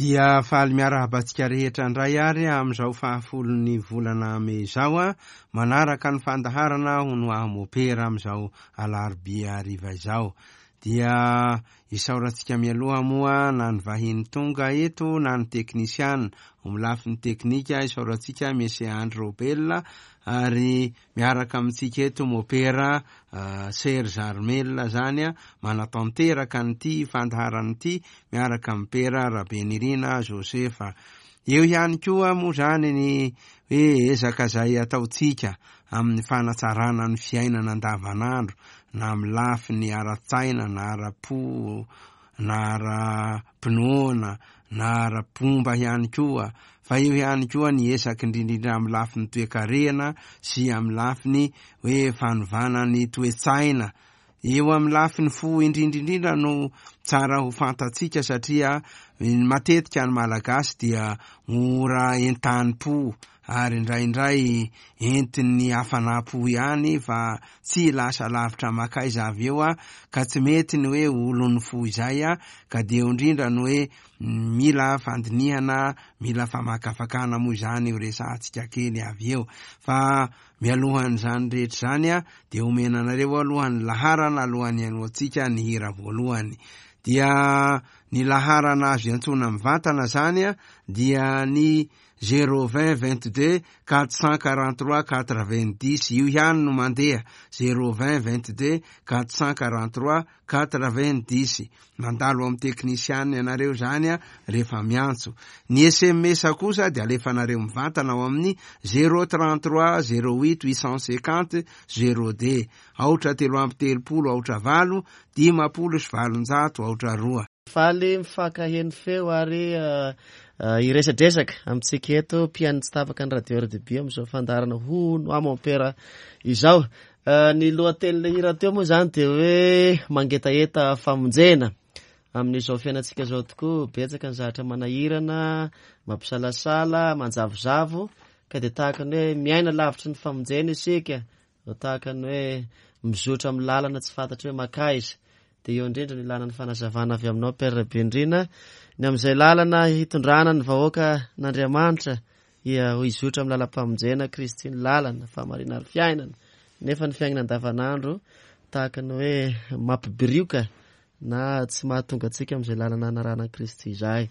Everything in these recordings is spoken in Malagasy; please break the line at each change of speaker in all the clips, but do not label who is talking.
Dia faly miarahaba antsika rehetra indray ary amin'izao fahafolon'ny volana mey izao, manaraka ny fandaharana hono aho mopera amin'izao alarobia hariva izao. Dia isaorantsika mialoha moa na ny vahiny tonga eto na ny teknisiana. Amin'ny lafiny teknika isaorantsika Monsieur Andry Robel ary miaraka amintsika eto Mopera Serge Armel zany manatanteraka an'ity fandaharana ity miaraka amin'i Pera Rabenirina Joseph. Eo ihany koa moa zany ny hoe ezaka izay ataontsika amin'ny fanatsarana ny fiainana andavanandro na amin'ny lafiny ara-tsaina na ara-po na ara-pinoana na ara-pomba ihany koa fa eo ihany koa ny ezaka indrindra indrindra amin'ny lafiny toekarena sy amin'ny lafiny hoe fanovana ny toe-tsaina. Eo amin'ny lafiny fo indrindra indrindra no tsara ho fantatsika satria matetika ny Malagasy dia mora entanim-po ary indraindray entin'ny hafanam-po ihany fa tsy lasa lavitra makaiza avy eo ka tsy mety ny hoe olon'ny fo izay ka dia eo indrindra no hoe mila fandinihana, mila famakafakana moa izany io resahantsika kely avy eo fa mialohan'izany rehetra izany dia omena anareo aloha ny laharana alohan'ny hihainoantsika ny hira voalohany dia ny laharana azo iantsoana mivantana izany dia ny zéro vingt 22 443 90 io ihany no mandeha zéro vingt 22 443 90 mandalo amin'ny teknisiana ianareo izany a rehefa miantso ny sms kosa dia alefanareo mivantana ao amin'ny zéro 33 08 850 zéro deux aotra 33 aotra 8 850 aotra 2.
Faly mifankaheno feo ary hiresadresaka amintsika eto mpihaino tsy tapaka ny radio RDB amin'izao fandaharana hono aho mompera izao. Ny lohatenin'ilay hira teo moa izany dia hoe mangetaheta famonjena. Amin'izao fiainantsika izao tokoa betsaka ny zavatra manahirana, mampisalasala, manjavozavo ka dia tahaka ny hoe miaina lavitry ny famonjena isika. Tahaka ny hoe mizotra amin'ny lalana tsy fantatra hoe makaiza. Dia eo indrindra no ilana ny fanazavana avy aminao Père Rabenirina ny amin'izay lalana hitondrana ny vahoaka n'Andriamanitra hizotra amin'ny lalam-pamonjena, Kristy ny lalana, fahamarinana ary fiainana. Nefa ny fiainana andavanandro tahaka ny hoe mampibirioka na tsy mahatonga antsika amin'izay lalana hanarahana an'i Kristy izay.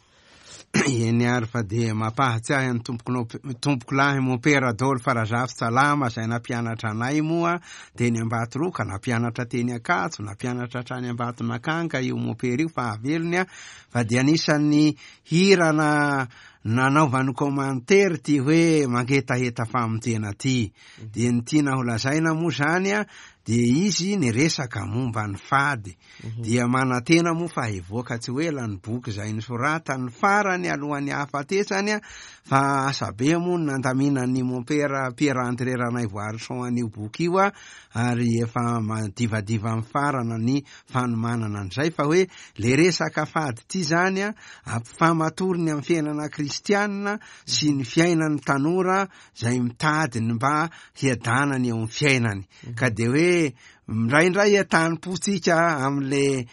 Eny ary fa dia mampahatsiahy an'i tompoko tompokolahy Mompera Adolphe Razafintsalama izay nampianatra anay moa teny Ambatoroka, nampianatra teny Ankatso, nampianatra hatrany Ambatonakanga io Mompera io fahavelony fa dia anisan'ny hira na nanaovany commentaire ity hoe mangetaheta famonjena ity. Dia ny tiana ho lazaina moa izany dia izy niresaka momba ny fady. Dia manantena moa fa hivoaka tsy ho ela ny boky izay nosoratany farany alohan'ny hahafatesany fa asa be moa ny nandaminan'ny mompera Pierre André Ranaivoarison an'io boky io ary efa madivadiva mifarana ny fanomanana an'izay fa hoe le resaka fady ity izany ampifamatoriny amin'ny fiainana kristianina sy ny fiainan'ny tanora izay mitady ny mba hiadanany eo amin'ny fiainany ka dia hoe Indraindray entanim-pontsika amin'le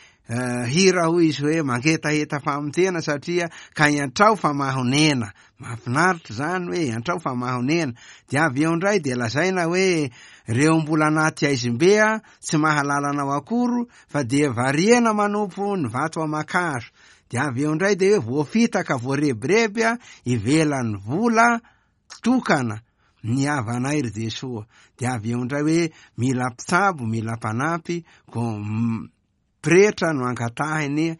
hira hoy izy hoe mangetaheta famonjena satria ka iantrao fa mahonena. Mahafinaritra izany hoe iantrao fa mahonena. Dia avy eo indray dia lazaina hoe reo mbola anaty haizim-be tsy mahalala anao akory fa dia variana manompo ny vato aman-kazo. Dia avy eo indray dia hoe voafitaka voarebireby ivelan'ny vola tokana ny havanay ry Jesoa. Dia avy eo indray hoe mila mpitsabo, mila mpanampy, ko pretra no angatahiny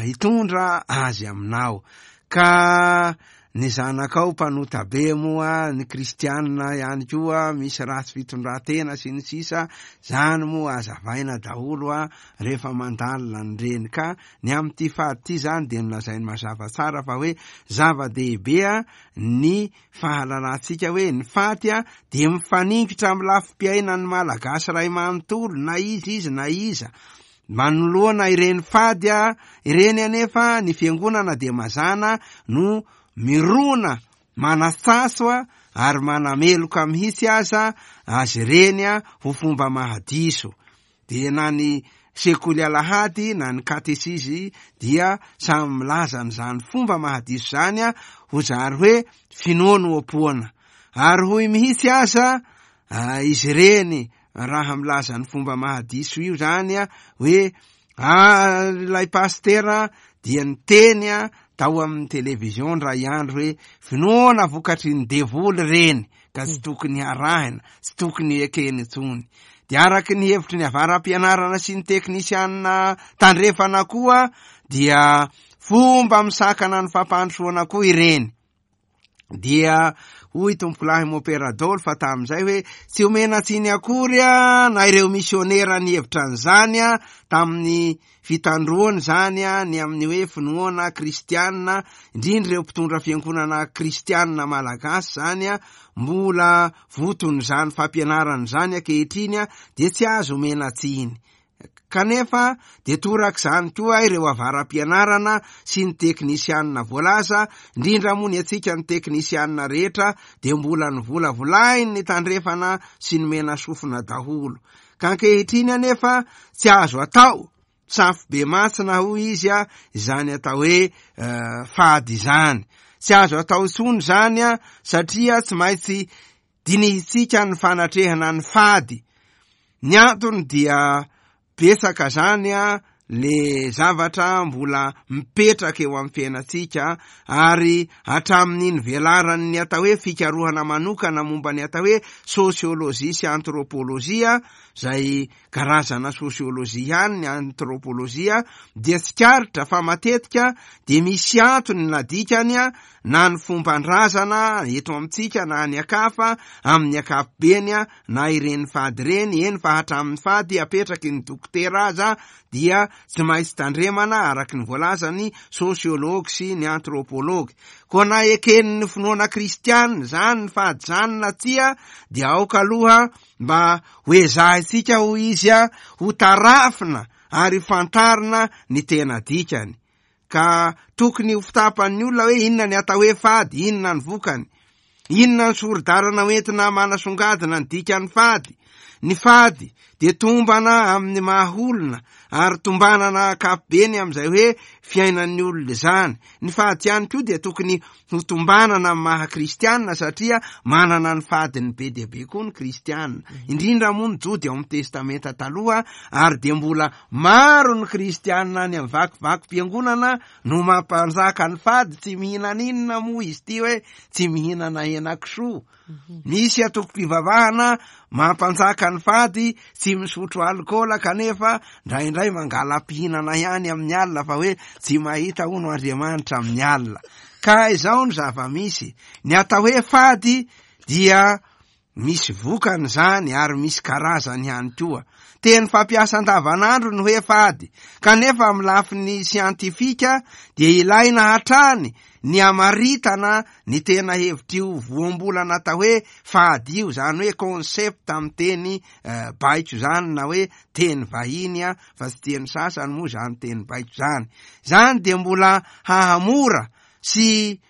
hitondra azy aminao. Ka ny zanakao mpanota be moa, ny kristianina ihany koa misy ratsy fitondran-tena sy ny sisa, zany moa azavaina daholo rehefa mandalina an'ireny. Ka ny amin'ity fady ity zany dia nolazainy mazava tsara fa hoe zava-dehibe ny fahalalantsika hoe ny faty dia mifaningitra amin'ny lafim-piainan'ny Malagasy iray manontolo na iza izy na iza. Manoloana ireny fady ireny anefa ny fiangonana dia mazàna no mirona manatsaso ary manameloka mihitsy aza azy ireny ho fomba mahadiso. Dia na ny sekoly alahady na ny katesizy dia samy milaza an'izany fomba mahadiso izany ho zary hoe finoanoam-poana. Ary hoy mihitsy aza izy ireny raha milaza ny fomba mahadiso io izany hoe ilay pasitera dia niteny tao amin'ny television indray andro hoe finoana vokatry ny devoly ireny ka tsy tokony harahina, tsy tokony ekena intsony. Dia araky ny hevitry ny avara-pianarana sy ny teknisianina tandrefana koa dia fomba misakana ny fampandrosoana koa ireny. Dia hoy tompokolahy Mopera Dolo fa tamin'izay hoe tsy omena tsiny akory na ireo misionera nihevitra an'izany tamin'ny fitandroana izany ny amin'ny hoe finoana kristianina, indrindra ireo mpitondra fiangonana kristianina malagasy izany mbola voton'izany fampianarana izany ankehitriny dia tsy azo omena tsiny. Kanefa dia torak'izany koa ireo avara-pianarana sy ny teknisianina voalaza, indrindra moa ny antsika ny teknisianina rehetra dia mbola novolavolain'ny tandrefana sy ny menasofina daholo. Ka ankehitriny anefa tsy azo atao safobemantsina hoy izy izany atao hoe fady izany. Tsy azo atao intsony izany satria tsy maintsy dinihintsika ny fanatrehana ny fady. Ny antony dia betsaka zany le zavatra mbola mipetraka eo amin'ny fiainantsika ary hatramin'ny nivelaran'ny atao hoe fikarohana manokana momba ny atao hoe sosiolojia sy antrôpôlôjia izay karazana sosiolojia ihany ny antrôpôlôjia dia tsikaritra fa matetika dia misy antony na dikany na ny fomban-drazana eto amintsika na any an-kafa amin'ny ankapobeny na ireny fady ireny, eny fa hatramin'ny fady apetraky ny dokotera aza dia tsy maintsy tandremana araka ny voalazan'ny sosiology sy ny antrôpôlôgy. Koa na eken'ny finoana kristiana izany ny fady izany na tsia dia aoka aloha mba ho ezahintsika hoy izy ho tarafina ary fantarina ny tena dikany. Ka tokony ho fitapan'ny olona hoe inona ny atao hoe fady, inona ny vokany. Inona ny sori-dalana hoentina manasongadina ny dikan'ny fady? Ny fady dia tombana amin'ny maha olona ary tombanana ankapobeny amin'izay hoe fiainan'ny olona izany. Ny fady ihany koa dia tokony ho tombanana amin'ny maha kristianina satria manana ny fadiny be dia be koa ny kristianina. Indrindra moa ny Jody ao amin'ny Testamenta Taloha ary dia mbola maro ny kristianina any amin'ny vakivakim-piangonana no mampanjaka ny fady, tsy mihinana inona moa izy ity hoe tsy mihinana henakisoa. Misy antokom-pivavahana mampanjaka ny fady, tsy misotro alikaola kanefa indraindray mangala-pihinana ihany amin'ny alina fa hoe tsy mahita hono Andriamanitra amin'ny alina. Ka izao ny zava-misy, ny atao hoe fady dia misy vokany izany ary misy karazany ihany koa. Teny fampiasa andavanandro ny hoe fady, kanefa amin'ny lafiny siantifika dia ilaina hatrany ny hamaritana ny tena hevitr'io voambolana atao hoe fady io, izany hoe concept amin'ny teny baiko izany na hoe teny vahiny fa tsy tian'ny sasany moa izany teny baiko izany. Izany dia mbola hahamora sy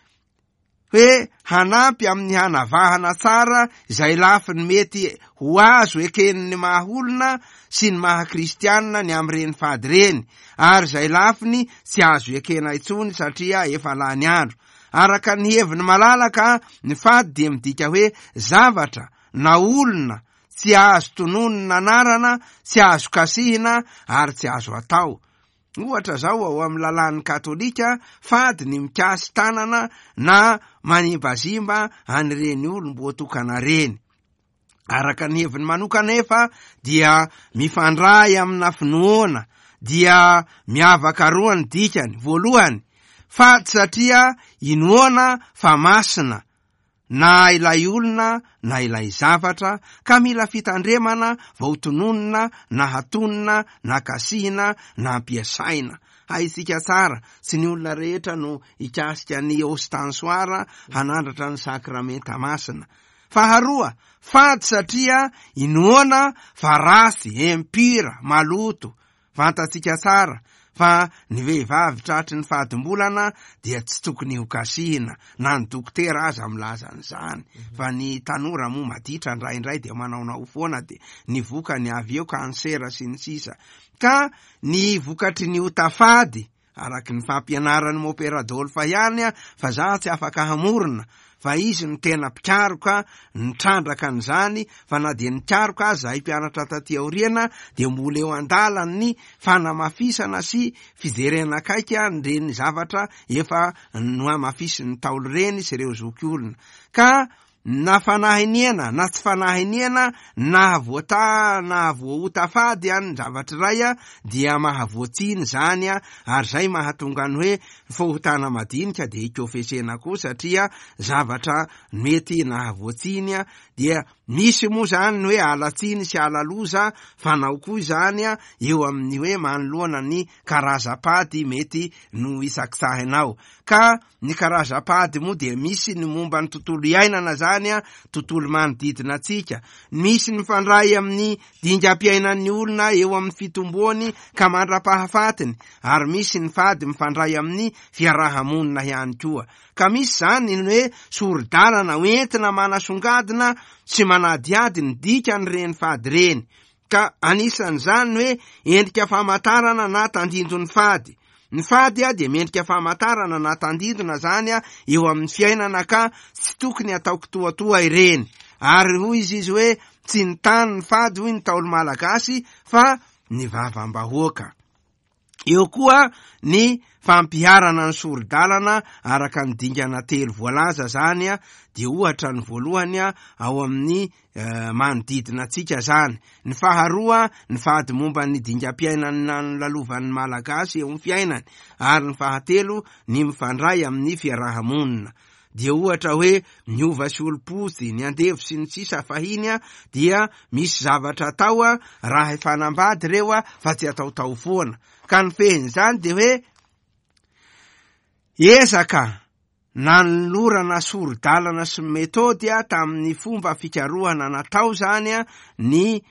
hoe hanampy amin'ny hanavahana tsara izay lafiny mety ho azo eken'ny maha olona sy ny maha kristianina ny amin'ireny fady ireny, ary izay lafiny tsy azo ekena intsony satria efa lany andro. Araka ny heviny malalaka, ny fady dia midika hoe zavatra na olona tsy azo tononina anarana, tsy azo kasihina ary tsy azo atao. Ohatra izao, ao amin'ny lalàn'ny Katolika, fady ny mikasi-tanana na manimbazimba an'ireny olom-boatokana ireny. Araka ny heviny manokana anefa dia mifandray amina finoana dia miavaka roa ny dikany. Voalohany, fady satria inoana fa masina na ilay olona na ilay zavatra ka mila fitandremana vao tononina na hatonina na kasihina na ampiasaina. Haintsika tsara, tsy ny olona rehetra no hikasika ny ostensoir hanandratra ny sakramenta masina. Faharoa, fady satria inoana fa ratsy, impur, maloto. Fantatsika tsara Fa ny vehivavy tratry ny fadimbolana dia tsy tokony ho kasihina, na ny dokotera aza milaza an'izany. Fa ny tanora moa maditra indraindray dia manaonao foana dia ny vokany avy eo kansera sy ny sisa. Ka ny vokatry ny ota fady, araky ny fampianaran'i Mopera Adolphe ihany fa za tsy afaka hamorona fa izy no tena mpikaroka nitrandraka an'izany, fa na dia nikaroka aza zahay mpianatra taty aoriana dia mbola eo an-dalan'ny fanamafisana sy fijerena akaiky an'ireny zavatra efa nohamafisin'ny Ntaolo ireny sy ireo zokiolona. Ka Na fanahy iniana na tsy fanahy iniana, nahavoata nahavoaota fady an ny zavatra iray an, dia mahavoatsiny izany an, ary izay mahatonga ny hoe fahotana madinika dia ikofesena koa satria zavatra mety nahavoatsiny an, dia misy moa izany ny hoe ala-tsiny sy ala-loza fanao koa izany an, eo amin'ny hoe manoloana ny karazam-pady mety nohisakitsahinao. Ka Ny karazam-pady moa dia misy ny momba ny tontolo iainana izany, tontolo manodidina antsika. Misy ny mifandray amin'ny dingam-piainan'ny olona eo amin'ny fitomboany ka mandra-pahafatiny, ary misy ny fady mifandray amin'ny fiaraha-monina ihany koa. Ka misy izany ny hoe sori-dalana hoentina manasongadina sy manadihady ny dikan'ireny fady ireny. Ka anisan'izany ny hoe endrika famantarana na tandindon'ny fady. Ny fady dia mendrika famantarana na tandindona izany eo amin'ny fiainana ka tsy tokony atao kitoatoa ireny. Ary hoy izy izy hoe tsy ny tany ny fady hoy ny Ntaolo Malagasy fa ny vavam-bahoaka. Eo koa ny fampiharana ny sori-dalana araka ny dingana telo voalaza izany dia ohatra ny voalohany ao amin'ny manodidina antsika izany. Ny faharoa ny fady momba ny dingam-piainana nolalovan'ny Malagasy eo amin'ny fiainany ary ny fahatelo ny mifandray amin'ny fiaraha-monina. Dia ohatra hoe ny hova sy olom-potsy, ny andevo sy ny sisa fahiny dia misy zavatra atao raha efa hanambady ireo fa tsy ataotao foana. Ka ny fehin'izany dia hoe ezaka nanolorana sori-dalana sy methode tamin'ny fomba fikarohana natao izany ny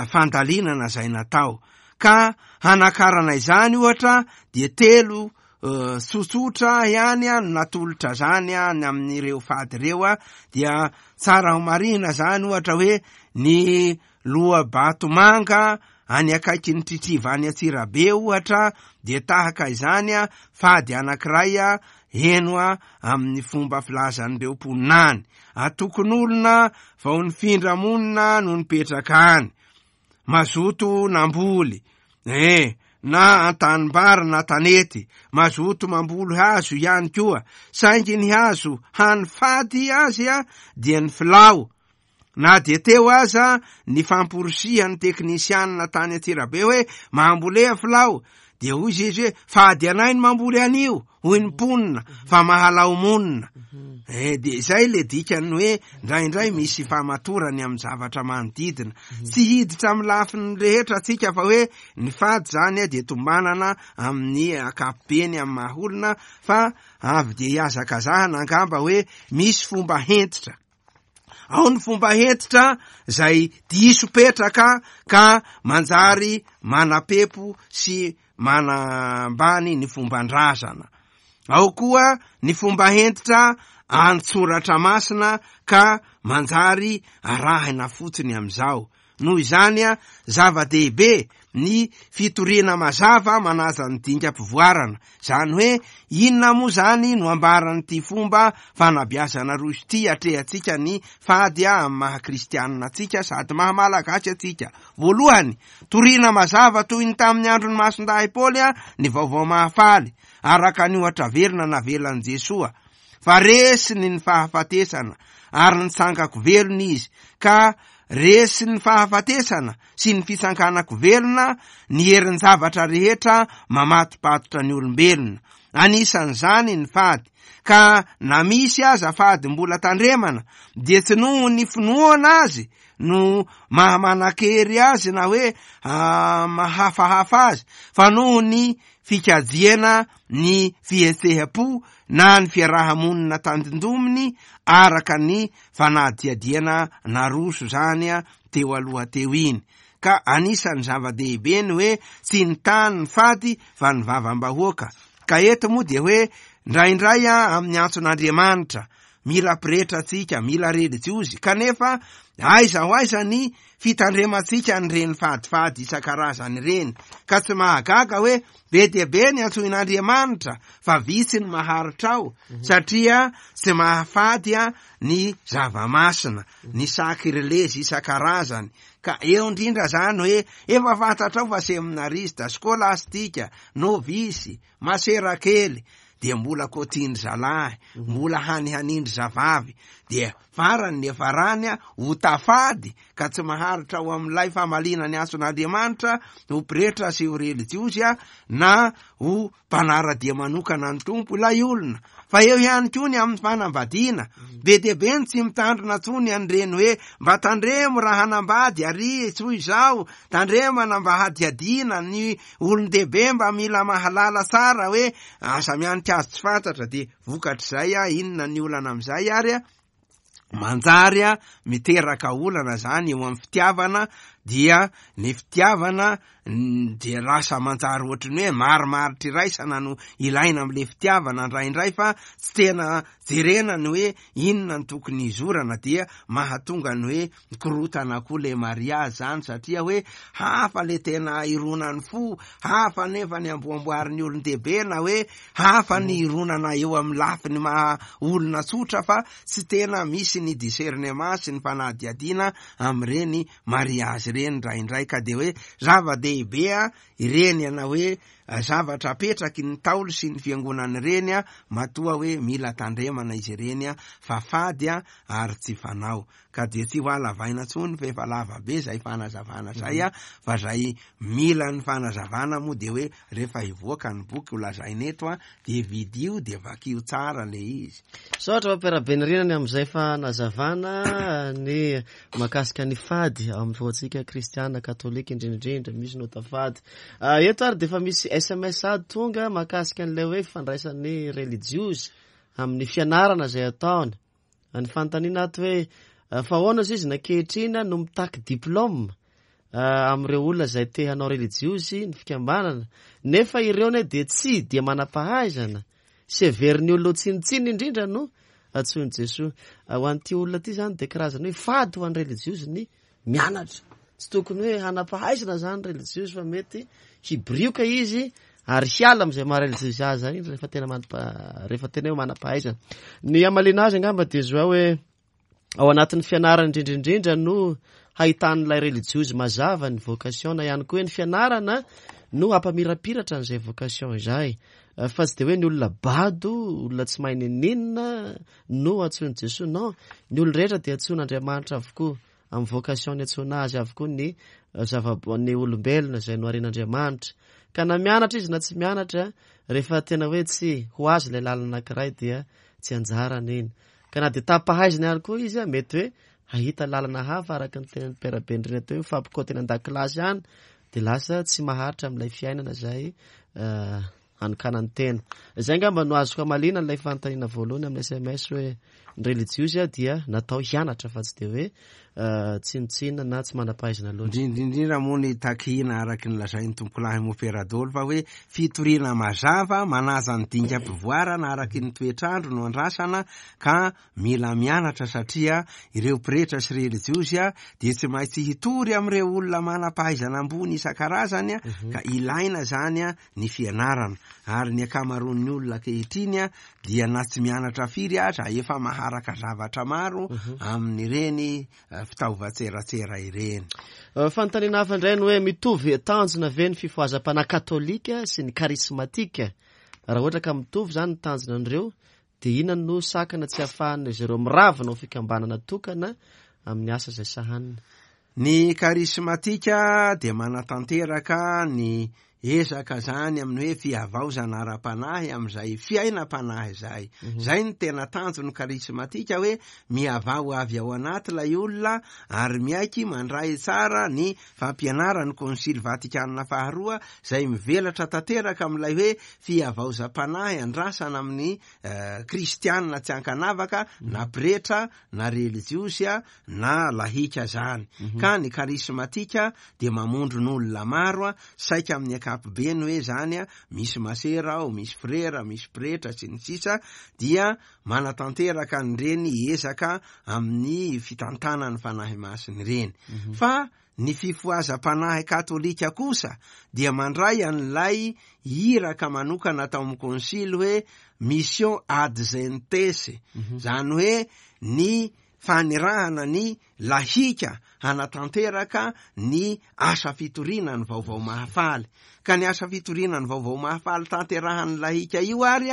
fandalinana izay natao. Ka hanakarana izany ohatra dia telo Tsotsotra ihany no natolotra zany ny amin'ireo fady ireo dia tsara ho marihina zany ohatra hoe ny loa-batomanga any akaikin'ny Tritriva any Antsirabe ohatra dia tahaka izany fady anankiray heno amin'ny fomba filazan'ireo mponina any. Antokon'olona vao nifindra monina no nipetraka any. Mazoto namboly, eh, na an-tanimbary na tanety, mazoto mamboly hazo ihany koa, saingy ny hazo hany fady azy dia ny filao. Na dia teo aza ny famporisihan'ny teknisianina tany Antsirabe hoe mambolea filao, dia hoy izy hoe fady anay ny mamboly an'io. hoy ny mponina fa mahalao monina. Eh, dia izay le dikan'ny hoe ndraindray misy famatorany amin'ny zavatra manodidina. Tsy hiditra amin'ny lafiny rehetra atsika fa hoe ny fady zany dia tombanana amin'ny ankapobeny amin'ny maha olona fa avy dia hihazakazahana angamba hoe misy fomba hentitra. Ao ny fomba hentitra izay diso petraka ka manjary manapepo sy manambany ny fomban-drazana. Ao koa ny fomba hentitra an-tsoratra masina ka manjary arahina fotsiny amin'izao. Noho izany, zava-dehibe ny fitoriana mazava manaja ny dingam-pivoarana. Izany hoe, inona moa izany no ambaran'ity fomba fanabeazana roso ity atrehantsika ny fady amin'ny maha kristianina antsika sady maha malagasy antsika? Voalohany, Torina mazava toy ny tamin'ny andron'i Masindahy Paoly ny Vaovao Mahafaly, araka ny ohatra velona navelan'i Jesoa, fa resiny ny fahafatesana, ary nitsangan-ko velona Izy, ka resin'ny fahafatesana sy ny fitsanganan-ko velona ny herin-javatra rehetra mamatopatotra ny olombelona, anisan'izany ny fady, ka na misy aza fady mbola tandremana, dia tsy noho ny finoana azy no maha manan-kery azy na hoe mahafahafa azy fa noho ny fikajiana ny fihetseham-po na ny fiaraha-monina tandindominy araka ny fanadihadiana naroso izany teo aloha teo iny. Ka anisan'ny zava-dehibe ny hoe tsy ny tany ny fady fa ny vavam-bahoaka. Ka eto moa dia hoe ndraindray amin'ny antson'Andriamanitra, mila pretra tsika, mila relijiozy, kanefa aiza ho aiza ny fitandremantsika an'ireny fadifady isan-karazany ireny. Ka tsy mahagaga hoe be dia be ny antsoin'Andriamanitra fa vitsy ny maharitra ao, satria tsy mahafady ny zava-masina, ny sakrilezy isan-karazany. Ka eo indrindra zany hoe efa fantatrao fa seminarista, skolastika, novisy, masera kely, dia mbola kotindry zalahy, mbola hanihanindry zavavy, dia farany ny farany ho tafady ka tsy maharitra ao amin'ilay famaliana ny antson'Andriamanitra ho pretra sy ho relijiozy na ho mpanara-dia manokana ny Tompo ilay olona. Fa eo ihany koa ny amin'ny fanambadiana. Be dia be ny tsy mitandrina intsony an'ireny hoe mba tandremo raha hanambady ary toy izao, tandremana mba hadihadiana ny olon-dehibe mba mila mahalala tsara hoe aza mianika azy tsy fantatra dia vokatr'izay inona ny olana amin'izay ary manjary miteraka olana zany eo amin'ny fitiavana dia ny fitiavana dia lasa manjary ohatry ny hoe marimaritra iraisana no ilaina amin'le fitiavana indraindray fa tsy tena jerena ny hoe inona no tokony hizorana dia mahatonga ny hoe mikorotana koa le mariazy zany satria hoe hafa le tena ironan'ny fo, hafa nefa ny amboamboarin'ny olon-dehibe na hoe hafa ny ironana eo amin'ny lafiny maha olona tsotra fa tsy tena misy ny discernement sy ny fanadihadiana amin'ireny mariazy ireny indraindray ka de hoe zava-dehibe ireny ana hoe zavatra apetraky ny Ntaolo sy ny fiangonana ireny matoa hoe mila tandremana izy ireny fa fady ary tsy fanao. Ka dia tsy ho halavaina tsony fa efa lava be zay fanazavana zay a, fa zay mila ny fanazavana moa dia hoe rehefa hivoaka ny boky ho lazaina eto a, dia vidio dia vakio tsara le izy.
Misaotra Papa Rabenirina ny amin'izay fanazavana ny mahakasika ny fady ao amin'ny finoantsika kristiana katolika indrindra indrindra misy ny ota fady. Eto ary dia efa misy sms ady tonga mahakasika an'ilay hoe fifandraisan'ny relijiozy amin'ny fianarana izay ataony. Ny fanontaniana ato hoe fa ahoana ozy izy ankehitriny no mitaky diplôme amin'ireo olona izay te hanao relijiozy ny fikambanana nefa ireo ne dia tsy dia manam-pahaizana sy heverin'ny olona ho tsinontsinona indrindra no antsoin'i Jesoa. Ho an'ity olona ity izany dia karazana hoe fady ho an'ny relijiozy ny mianatra. Tsy tokony hoe hanam-pahaizana izany relijiozy fa mety hibirioka izy ary hiala amin'izay maha relijiozy azy izany rehefa tena manam-pa-, rehefa tena hoe manam-pahaizana. Ny hamaliana azy angamba dia zao hoe ao anatin'ny fianarana indrindra indrindra no hahitan'ilay relijiozy mazava ny vocation na ihany koa hoe ny fianarana no hampamirapiratra an'izay vocation izay. Fa tsy dia hoe ny olona bado, olona tsy mahay n'inon'inona no antsoin'i Jesoa. Non, ny olona rehetra dia antsoin'Andriamanitra avokoa. Amin'ny vocation niantsoana azy avokoa ny zava-, ny olombelona izay noharian'Andriamanitra. Ka na mianatra izy na tsy mianatra, rehefa tena hoe tsy ho azy ilay lalana anankiray dia tsy anjarany iny. Ka na dia tam-pahaizana ihany koa izy, mety hoe hahita lalana hafa araka ny tenin'i Père Bendrina teo, mifampikaoty any an-dakilasy any, dia lasa tsy maharitra amin'ilay fiainana izay hanokanany tena. Izay angamba no azoko hamaliana ilay fanontaniana voalohany amin'ny sms hoe ny relijiozy dia natao hianatra fa tsy dia hoe tsinontsinona na tsy manam-pahaizana loatra.
Indrindra indrindra moa ny takiana araka ny lazain'ny tompokolahy Mopera Dolo fa hoe fitoriana mazava manaja ny dingam-pivoarana araky ny toetr'andro no andrasana ka Mila mianatra satria ireo pretra sy relijiozy dia tsy maintsy hitory amin'ireo olona manam-pahaizana ambony isan-karazany ka ilaina izany ny fianarana. Ary ny ankamaroan'ny olona ankehitriny dia na tsy mianatra firy aza efa maharaka zavatra maro amin'ireny fitaovan-tseratsera ireny.
Fanontaniana hafa indray ny hoe mitovy tanjona ve ny fifohazam-panahy katolika sy ny karismatika? Raha ohatra ka mitovy izany ny tanjona an'ireo Dia inona no sakana tsy ahafahan'izy ireo miravona ho fikambanana tokana amin'ny asa izay sahaniny?
Ny karismatika dia manatanteraka ny ezaka zany amin'ny hoe fihavaozana ara-panahy amin'izay fiainam-panahy izay. Zay no tena tanjon'ny karismatika hoe mihavao avy ao anaty ilay olona ary miaiky mandray tsara ny fampianaran'ny Konsily Vatikana faharoa izay mivelatra tanteraka amin'ilay hoe fihavaozam-panahy andrasana amin'ny kristiana tsy ankanavaka na pretra na relijiozy na lahika zany. Ka ny karismatika dia mamondron'olona maro, saika amin'ny ankapobeny hoe zany misy masera ao, misy frera, misy pretra sy ny sisa, dia manatanteraka an'ireny ezaka amin'ny fitantanan'ny Fanahy Masina ireny. Fa ny fifohazam-panahy katolika kosa dia mandray an'ilay iraka manokana tao amin'ny konsily hoe mission ad gentes, zany hoe ny fanirahana ny lahika hanatanteraka ny asa fitoriana ny vaovao mahafaly. Ka ny asa fitoriana ny vaovao mahafaly tanterahan'ny lahika io ary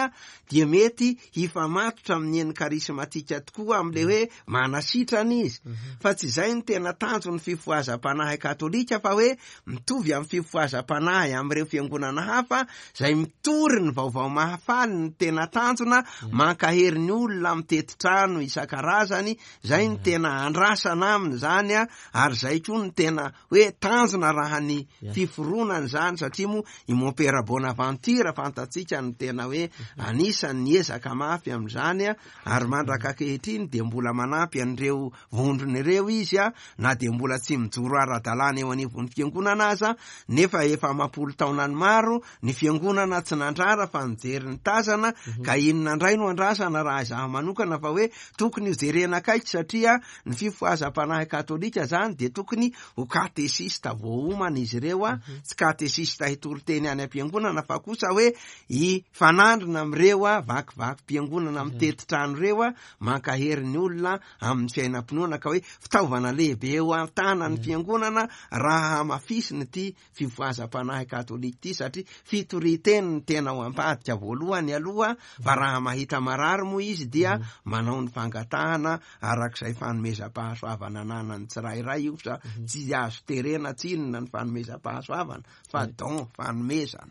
dia mety hifamatotra amin'ny eny karismatika tokoa amin'ilay hoe manasitrana izy. Fa tsy izay no tena tanjon'ny fifohazam-panahy katolika fa hoe mitovy amin'ny fifohazam-panahy amin'ireo fiangonana hafa izay mitory ny vaovao mahafaly no tena tanjona, mankahery ny olona mitety trano isan-karazany, izay no tena andrasana aminy izany ary izay koa no tena hoe tanjona raha ny fiforonana izany, satria moa i Mompera Bonaventure fantatsika no tena hoe anisan'ny niezaka mafy amin'izany ary mandraka ankehitriny dia mbola manampy an'ireo vondrona ireo izy na dia mbola tsy mijoro ara-dalàna eo anivon'ny fiangonana aza, nefa efa amam-polo taonany maro ny fiangonana tsy nandrara fa nijery ny tazana, ka inona indray no andrasana raha izaho manokana fa hoe tokony ho jerena akaiky satria ny fifohazam-panahy katolika zany dia tokony ho katesista voaomana izy ireo, tsy katesista hitory teny any am-piangonana fa kosa hoe hifanandrina amin'ireo vakivakim-piangonana mitety trano ireo, mankahery ny olona amin'ny fiainam-pinoana, ka hoe fitaovana lehibe eo an-tanan'ny fiangonana raha hamafisina ity fifohazam-panahy katolika ity, satria fitorian-teny no tena ao am-padika voalohany aloha, fa raha mahita marary moa izy dia manao ny fangatahana arak'izay fanomezam-pahasoavana ananan'ny tsirairay io, fa tsy azo terena tsinona ny fanomezam-pahasoavana fa don, fanomezana.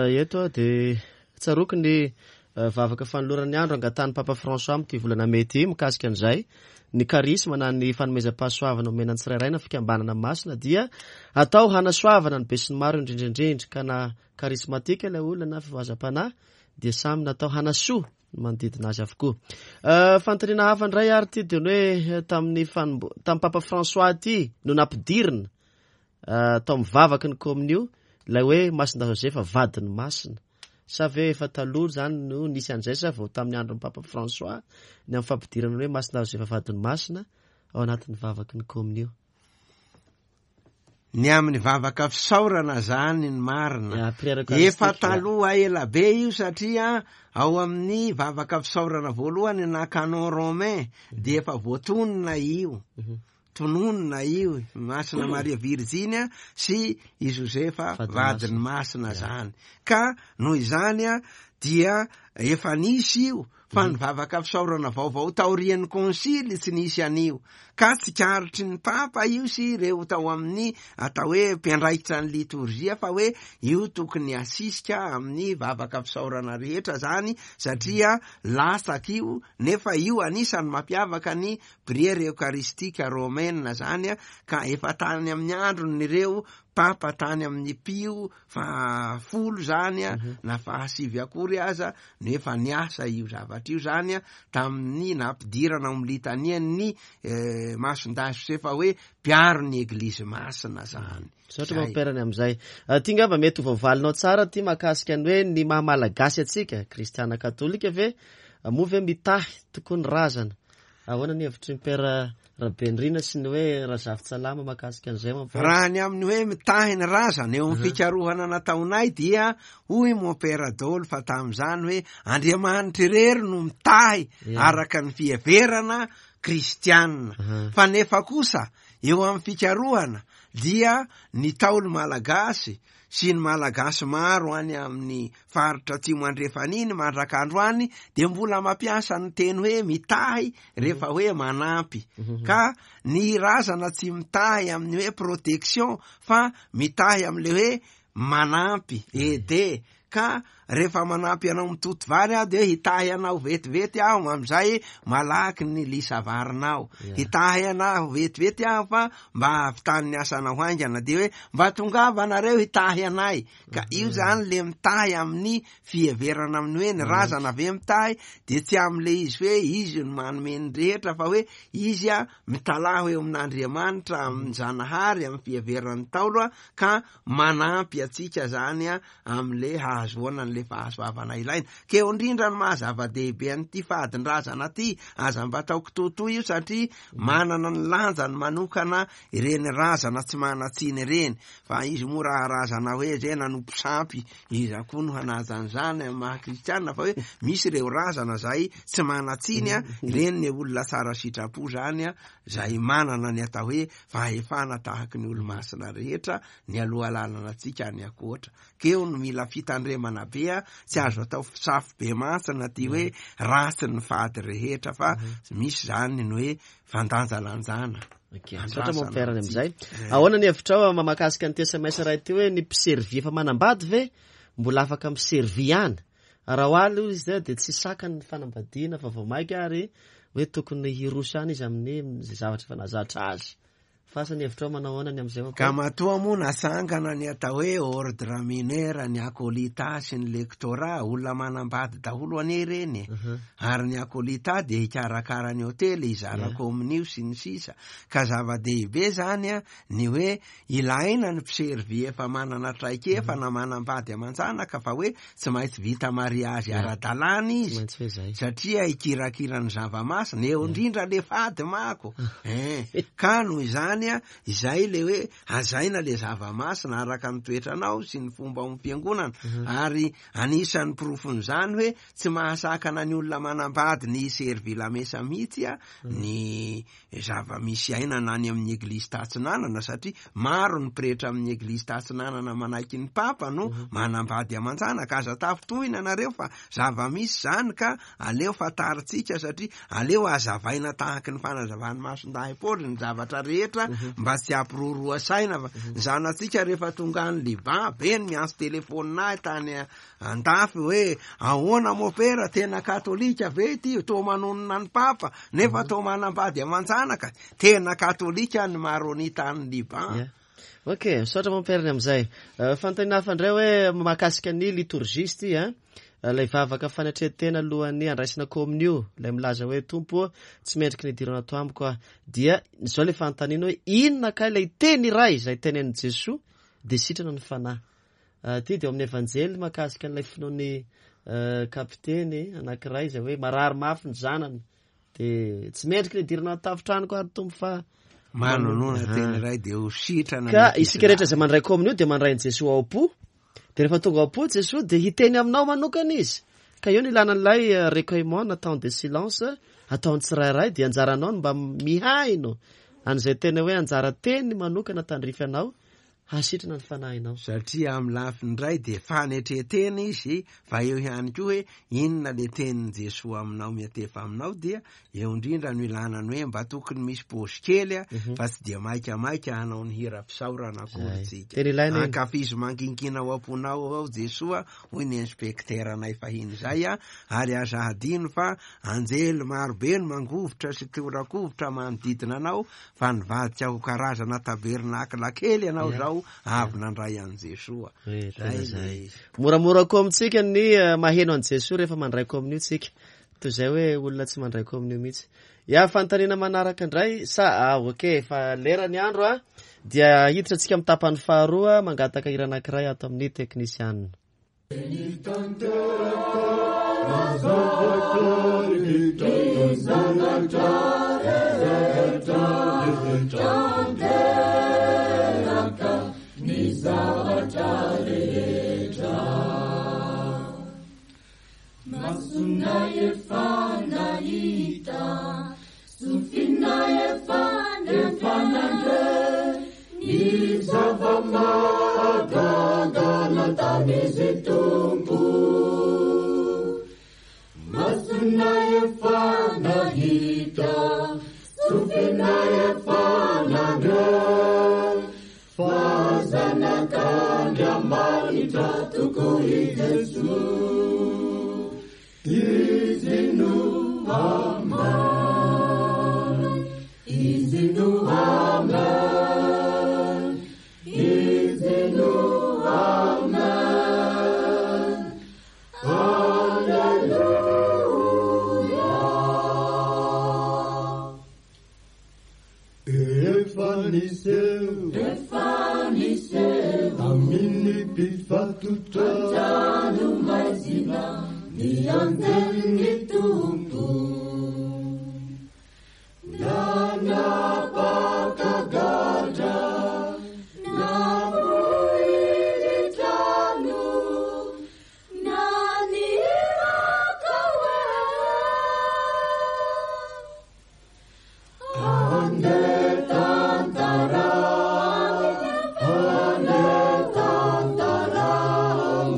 Eto aho dia tsaroako ny vavaka fanoloran'ny andro angatahan'ny Papa François amin'ity volana mey ity mikasika an'izay. Ny karisma na ny fanomezam-pahasoavana omena ny tsirairay na fikambanana masina dia atao hanasoavana ny besinimaro indrindra indrindra, ka na karismatika ilay olona na fivoazam-panahy dia samy natao hanasoa ny manodidina azy avokoa. Fanontaniana hafa indray ary ity dia ny hoe tamin'ny fanombo-, tamin'ny Papa François ity no nampidirina tao amin'ny vavaky ny kominio ilay hoe Masindahy Josefa vadiny masina. Sa ve efa taloha izany no nisy an'izay sa vao tamin'ny andron'ny Papa François ny amin'ny fampidirana ny hoe Masindahy Josefa vadiny masina ao anatin'ny vavaky ny kominio?
Ny amin'ny vavaka fisaorana izany ny marina.
Ya, prière eucharistique,
Efa
ya.
taloha ela be io satria ao amin'ny vavaka fisaorana voalohany na canon romain dia efa voatonona io. Tononina io Masina Maria Virjiny sy i Josefa vadiny masina zany. Ka noho izany dia efa nisy io, fa ny vavaka fisaorana vaovao taorian'ny konsily tsy nisy an'io. Ka tsikaritry ny Papa io sy ireo tao amin'ny atao hoe mpiandraikitra ny litorzia fa hoe io tokony asisika amin'ny vavaka fisaorana rehetra zany, satria latsaka io, nefa io anisan'ny mampiavaka ny Prière Eucharistique Romaine zany ka efa tany amin'ny andron'ireo Papa tany amin'ny Pio faha folo zany na faha sivy akory aza no efa niasa io zavatra io zany tamin'ny nampidirana ao amin'ny litanian'ny Masindahy Josefa hoe mpiaro ny Eglizy Masina zany.
Misaotra Mompera ny amin'izay. Ty ngamba mety ho voavalinao tsara ty mahakasika ny hoe ny maha Malagasy antsika, Kristiana Katolika ve, moa ve mitahy tokoa ny razana? Ahoana ny hevitry ny Père Rabenirina sy ny hoe Razafintsalama mahakasika an'izay mon père?
Raha ny amin'ny hoe mitahy ny razana eo amin'ny fikarohana nataonay dia hoy mon père daholo fa tamin'izany hoe Andriamanitra irery no mitahy araka ny fiheverana kristiana. Fa nefa kosa eo amin'ny fikarohana dia ny Ntaolo malagasy sy ny Malagasy maro any amin'ny faritra atsimo andrefana iny mandraka androany dia mbola mampiasa ny teny hoe mitahy rehefa hoe manampy. Ka ny razana tsy mitahy amin'ny hoe protection fa mitahy amin'ilay hoe manampy, aider, ka rehefa manampy anao mitoto vary aho dia hitahy anao vetivety aho amin'izay malaky ny lisa varinao. Hitahy anao vetivety aho fa mba hahavitan'ny asanao haingana, dia hoe mba tongava nareo hitahy anay. Ka io zany le mitahy amin'ny fiheverana amin'ny hoe ny razana ve mitahy, dia tsy amin'le izy hoe izy no manome ny rehetra, fa hoe izy a mitalaho eo amin'Andriamanitra, amin'ny Zanahary, amin'ny fiheveran'ny Ntaolo a, ka manampy antsika zany a amin'le hahazoana an'le fahasoavana ilaina. Ka eo indrindra no maha zava-dehibe an'ity fadin-drazana ty, aza mba atao kitoatoa io satria manana ny lanjany manokana ireny razana tsy manan-tsiny ireny, fa izy moa raha razana hoe zay nanompo sampy, iza koa no hanaja an'izany amin'ny maha kristiana, fa hoe misy ireo razana zay tsy manan-tsiny a, ireny ny olona tsara sitrapo zany a, zay manana ny atao hoe fahefana tahaky ny olo-masina rehetra ny aloha lalana antsika any ankoatra. Ka eo no mila fitandremana be a, tsy azo atao safo be mantsina ty hoe ratsy ny fady rehetra, fa misy zany ny hoe fandanjalanjana.
Ok, misaotra mon père ny amin'izay. Ahoana ny hevitrao mahakasika an'ity SMS iray ity hoe ny mpiservy efa manambady ve mbola afaka miservy ihany? Raha ho ahy aloha izy dia tsy sakany ny fanambadiana fa vao mainka ary hoe tokony hiroso ihany izy amin'ny izay zavatra efa nahazatra azy. Fa asa ny hevitrao manao ahoana ny amin'izay mon
Ka
père?
matoa moa nasangana ny atao hoe ordre mineur, ny acolytat sy ny lectorat, olona manambady daholo anie ireny e. Ary ny acolytat dia hikarakara ny hotely, hizara kominio sy ny sisa. Ka zava-dehibe zany a, ny hoe ilaina ny mpiservy efa manana traikefa na manambady aman-janaka, fa hoe tsy maintsy vita mariazy ara-dalàna
Tsy
izy.
maintsy hoe zay.
Satria hikirakira ny zava-masina, eo indrindra le fady mako. Eh, ka noho izany a, izay le hoe hazaina le zava-masina araka ny toetranao sy ny fomba ao amin'ny fiangonana. Ary anisan'ny porofon'izany hoe tsy mahasakana ny olona manambady ny hiservy lamesa mihitsy a, ny zava-misy iainana any amin'ny eglizy tatsinanana, satria maro ny pretra amin'ny eglizy tatsinanana manaiky ny papa no manambady aman-janaka. Aza tafintohina nareo fa zava-misy zany, ka aleo fantarintsika, satria aleo hazavaina tahaky ny fanazavan'ny Masindahy Paoly ny zavatra rehetra mba tsy hampiroroa saina. Fa ny zanatsika rehefa tonga any Liban, be ny miantso telefonina ahy tany andafy hoe ahoana mopera, tena katolika ve ity, toa manonona ny papa nefa toa manambady aman-janaka. Tena katolika ny maronita any Liban.
Ok, misaotra mon père ny amin'izay. Fanontaniana hafa indray hoe mahakasika ny liturgie izy ity, hein? Ilay vavaka fanetren-tena alohan'ny handraisana kominio, ilay milaza hoe Tompo ô, tsy mendriky ny hidirana ato amiko aho. Dia izao ilay fanontaniana hoe inona kay ilay teny iray izay tenenin'i Jesoa dia sitrana ny fanahy? Ity dia ao amin'ny Evanjely mahakasika an'ilay finoan'ny kapiteny anankiray izay hoe marary mafy ny zanany, dia tsy mendriky ny hidirana ao an-tafotranoko ary Tompo fa
manonona teny iray dia ho sitrana
Ka
ny
isika rehetra izay mandray kominio dia mandray an'i Jesoa ao am-po. Dia rehefa tonga ao am-po Jesoa dia hiteny aminao manokana izy. Ka eo no ilana an'ilay recueillement na temps de silence ataon'ny tsirairay, dia anjaranao ny mba mihaino an'izay tena hoe anjara teny manokana tandrify anao hasitrana ny fanahinao.
Satria amin'ny lafiny iray dia fanetren-tena izy, fa eo ihany koa hoe inona le tenin'i Jesoa aminao miantefa aminao, dia eo indrindra no ilana ny hoe mba tokony misy paosy kely a, fa tsy dia maikamaika hanao ny hira fisaorana akory tsika.
Tena ilaina iny.
Ankafizo mangingina ao am-ponao ao Jesoa, hoy ny inspekteranay fahiny izay a, ary aza hadino fa anjely marobe no mangovitra sy torakovitra manodidina anao, fa nivadika ho karazana tabernakla kely ianao izao avy nandray an'i Jesoa.
Eh, tena
Zay
zay.
le izy.
Moramora koa amintsika ny maheno an'i Jesoa rehefa mandray kominio tsika, toy izay hoe olona tsy mandray kominio mihitsy. Ya, fanontaniana manaraka indray sa, ah, ok, efa lera ny andro a, dia hiditra antsika amin'ny tapany faharoa, mangataka hira anankiray ato amin'ny teknisianina.
Jesoa. Izy no Amen. Izy no Amen. Izy no Amen. Alleluia. Efa niseho, efa niseho tamin'ny mpifatotra an-trano maizina ny anjelin'ny Tompo. Nanapaka gadra, namoy ny trano, naniraka hoe. Andeha tantarao, andeha tantarao,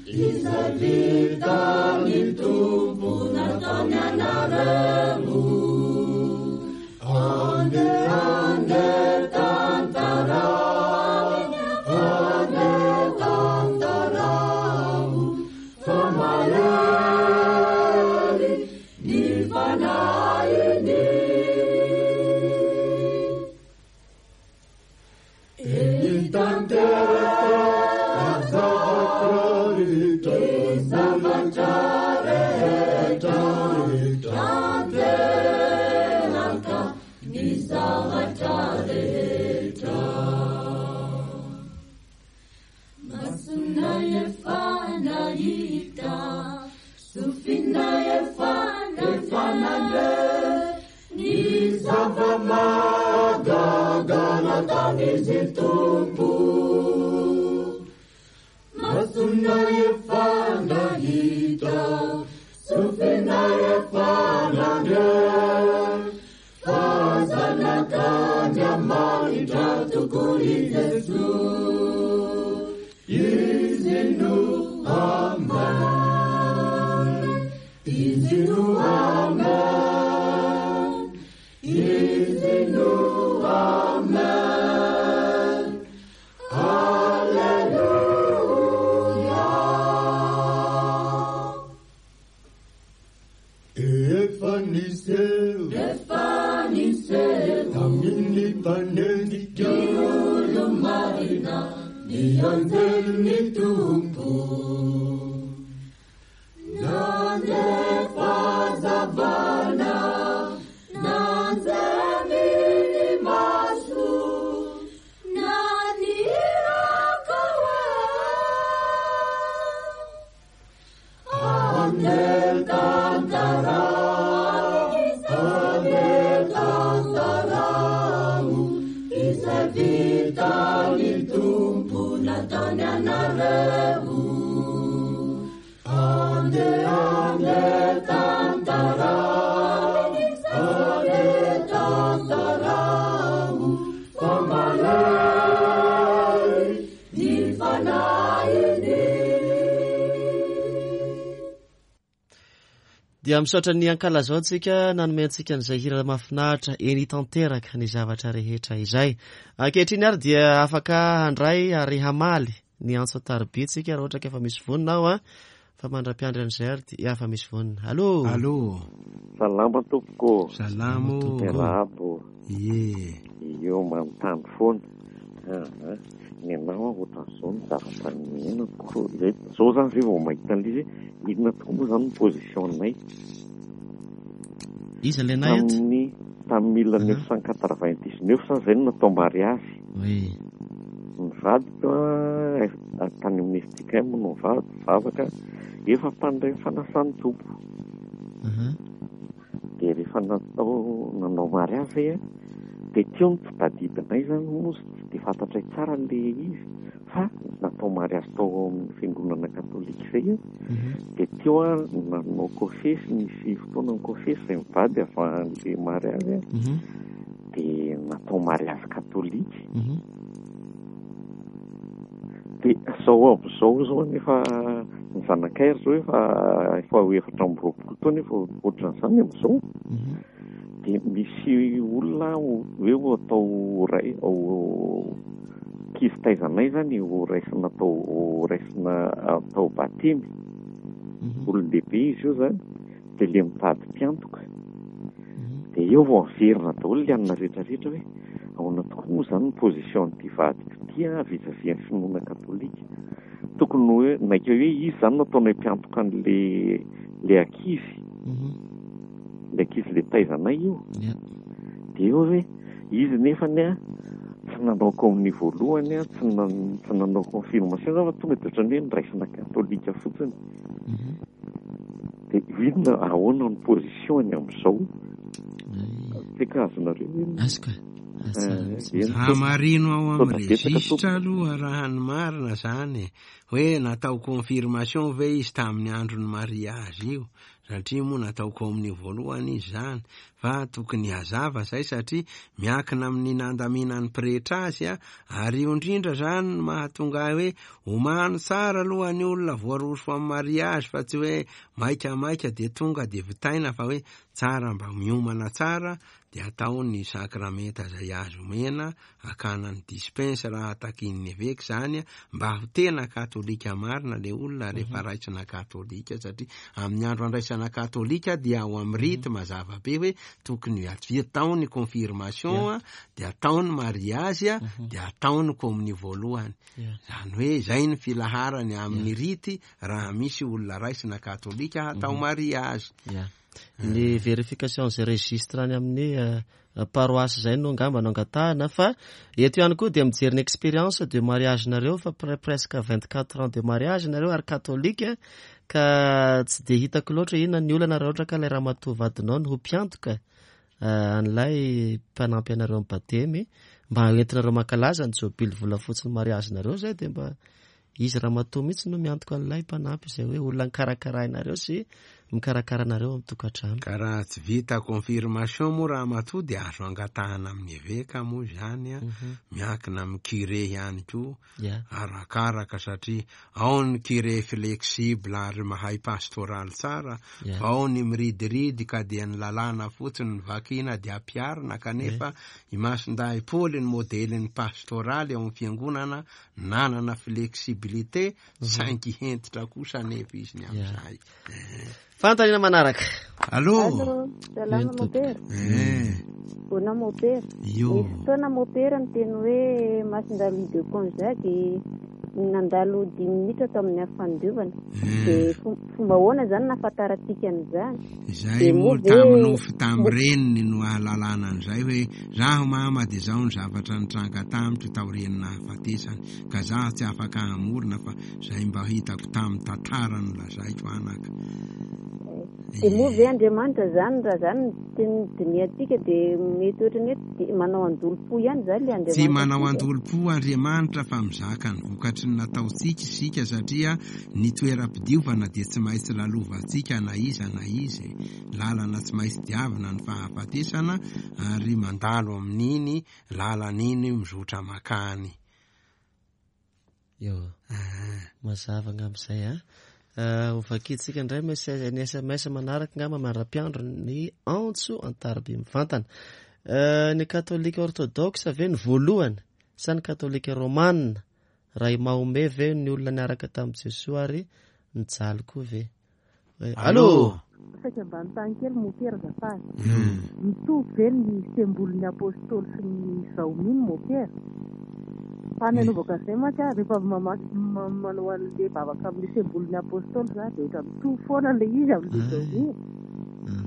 izay vitan'ny Tompo nataony anareo. Andeha, andeha tantarao, andeha tantarao, fa mahery ny Fanahiny. Eny tanteraka ny zavatra rehetra, zavatra rehetra, tanteraka ny zavatra rehetra. Masonay efa nahita, sofinay efa nandre, ny zava-mahagaga nataon'izy Tompo. Masonay efa nahita, sofinay efa nandre, fa Zanak'Andriamanitra tokoa i Jesoa. Izy no Amen. Izy no Amen. Izy no Amen. Alleluia. Efa niseho, efa niseho tamin'ny mpanendrika ny olo-marina, ny anjelin'ny Tompo. Nandefa hazavana, nanjemy ny maso, naniraka hoe. Andeha tantarao, andeha tantarao, izay vitan'ny Tompo nataony anareo. Andeha, andeha tantarao, andeha tantarao, fa mahery ny Fanahiny.
Dia misaotra ny ankalazao antsika nanome antsika an'izay hira mahafinaritra eny tanteraka ny zavatra rehetra izay. Ankehitriny ary dia afaka handray ary hamaly ny antso an-tariby tsika raha ohatra ka efa misy vonona aho a. Fa mandra-piandry an'izay ary dia efa misy vonona. Allo.
Allo.
Salama tompoko.
Salama ô.
Miarahaba ô.
Ie.
Eo manontany foana. Aa ny anao aho ohatran'izao ny zavatra niainako. Zay zao zany zay vao mahita an'ilay izy hoe inona tokoa moa zany ny position-nay.
Iza ilay nay eto?
Tamin'ny tamin'ny mille neuf cent quatre-vingt-dix-neuf zany zay no natao mariazy.
Oui.
Ny vadiko an, tany amin'ny FJKM no nivavaka, efa mpandray ny fanasan'ny Tompo. Dia rehefa natao nanao mariazy zay an, dia teo no tsy tadidinay zany moa tsy dia fantatray tsara ilay izy fa natao mariazy tao amin'ny fiangonana katolika zay an, dia teo an nanao kofesy, nisy fotoana ny kofesy zay mivady avy an'ilay mariazy an, dia natao mariazy katolika. Dia zao amin'izao zao anefa ny zanakay ary zao efa efa ho 24 taona efa ohatran'izany amin'izao. Dia misy olona hoe ho atao ray ho Ankizy taizanay zany ho raisina atao ho raisina atao batemy. Olon-dehibe izy io zany dia le mitady mpiantoka. Dia eo vao averina daholo le anona rehetrarehetra hoe ahoana tokoa moa zany ny position an'ity vadiko ity an vis-à-vis an'ny finoana katolika. Tokony hoe naika hoe izy zany no ataonay mpiantoka an'le le ankizy. Le ankizy le taizanay io. Dia eo hoe izy nefany an tsy nanao communion voalohany an, tsy tsy nanao confirmation zany fa tonga dia ohatran'ny hoe noraisina katolika fotsiny. Dia inona ahoana ny position-ny amin'izao? Tsy haiko azonareo ve?
Azoko e. Azo tsara.
Hamarino ao
Sao
amin'ny
da betsaka
registre
tompoko.
aloha raha ny marina zany e. Hoe natao confirmation ve izy tamin'ny andron'ny mariage io? Satria moa natao communion voalohany izy zany. Fa tokony hazava zay satria miankina amin'ny nandaminan'ny pretra azy a, ary io indrindra zany no mahatonga ahy hoe omano tsara aloha ny olona voaroso amin'ny mariage fa tsy hoe maikamaika dia tonga dia vitaina fa hoe tsara mba miomana tsara dia atao ny sakramenta izay azo omena hakana ny dispense raha takian'ny eveka izany mba ho tena katolika marina le olona rehefa raisina katolika satria amin'ny andro andraisana katolika dia ao amin'ny rite mazava be hoe tokony atao ny confirmation dia atao ny mariage dia atao ny communion voalohany. Izany hoe izay ny filaharany amin'ny rite raha misy olona raisina katolika hatao mariage.
Ny vérification izay registre any amin'ny paroisse izay no angamba no angatahana, fa eto ihany koa dia mijery ny expérience de mariage nareo fa presque 24 ans de mariage nareo ary katolika, ka tsy dia hitako loatra inona ny olana raha ohatra ka ilay ramatoa vadinao no ho mpiantoka an'ilay mpanampy anareo amin'ny batemy mba hoentinareo mankalaza ny jobily volafotsy ny mariage nareo izay, dia mba izy ramatoa mihitsy no miantoka an'ilay mpanampy izay hoe olona nikarakarainareo sy mikarakara anareo amin'ny tokantrano.
Ka raha tsy vita confirmation moa ramatoa dia azo angatahana amin'ny eveka moa izany a, miankina amin'ny curé ihany koa, arakaraka satria ao ny curé flexible ary mahay pastoral tsara, fa ao ny miridiridy ka dia ny lalàna fotsiny no vakiana dia ampiharina, kanefa i Masindahy Paoly ny modelin'ny pastoraly ao amin'ny fiangonana nanana flexibilité, saingy hentitra kosa anefa izy ny amin'izay.
Fanontaniana manaraka.
Allô?
Allô, salama
Eny, tompoko.
mopera. Bona mopera.
Io.
Nisy fotoana mopera niteny hoe Masindahy Louis de Gonzague nandalo dimy minitra tao amin'ny afo fandiovana. Dia fomba ahoana izany nahafantarantsika an'izany?
Izay
Dia
moa
moa ve
tamin'ny nofy tamin'ny reniny no ahalalana an'izay hoe zaho mama dia izao ny zavatra nitranga tamiko taorian'ny nahafatesany, ka zaho tsy afaka hamorona fa izay mba hitako tamin'ny tantara no lazaiko anaka.
Dia moa ve Andriamanitra izany raha izany no teny dinihantsika dia mety ohatran'ny hoe manao andolom-po ihany izany ilay
Tsy
Andriamanitra
manao
antsika?
andolom-po Andriamanitra fa mizaka ny vokatry ny nataontsika isika satria ny toeram-pidiovana dia tsy maintsy lalovantsika na iza na iza e. Lalana tsy maintsy diavina ny fahafatesana ary mandalo amin'iny lalana iny mizotra makany.
Eo. Mazava angamba izay a. Ho vakintsika indray message, ny SMS manaraka angamba mandra-piandro ny antso an-tariby mivantana. Ny katolika orthodoxe ve ny voalohany sa ny katolika romana? Raha i Mahomet ve ny olona niaraka tamin'i Jesoa ary nijaly koa ve? Allô?
Saika mba anontany kely mopera azafady. Mitovy ve ny sembolin'ny apôstôly sy ny zaomino mopera? Fa ny anaovako an'izay mantsy aho rehefa mamaky manao an'ilay vavaka amin'ny sembolin'ny apôstôly za dia ohatran'ny mitovy foana ilay izy amin'ilay zaomino.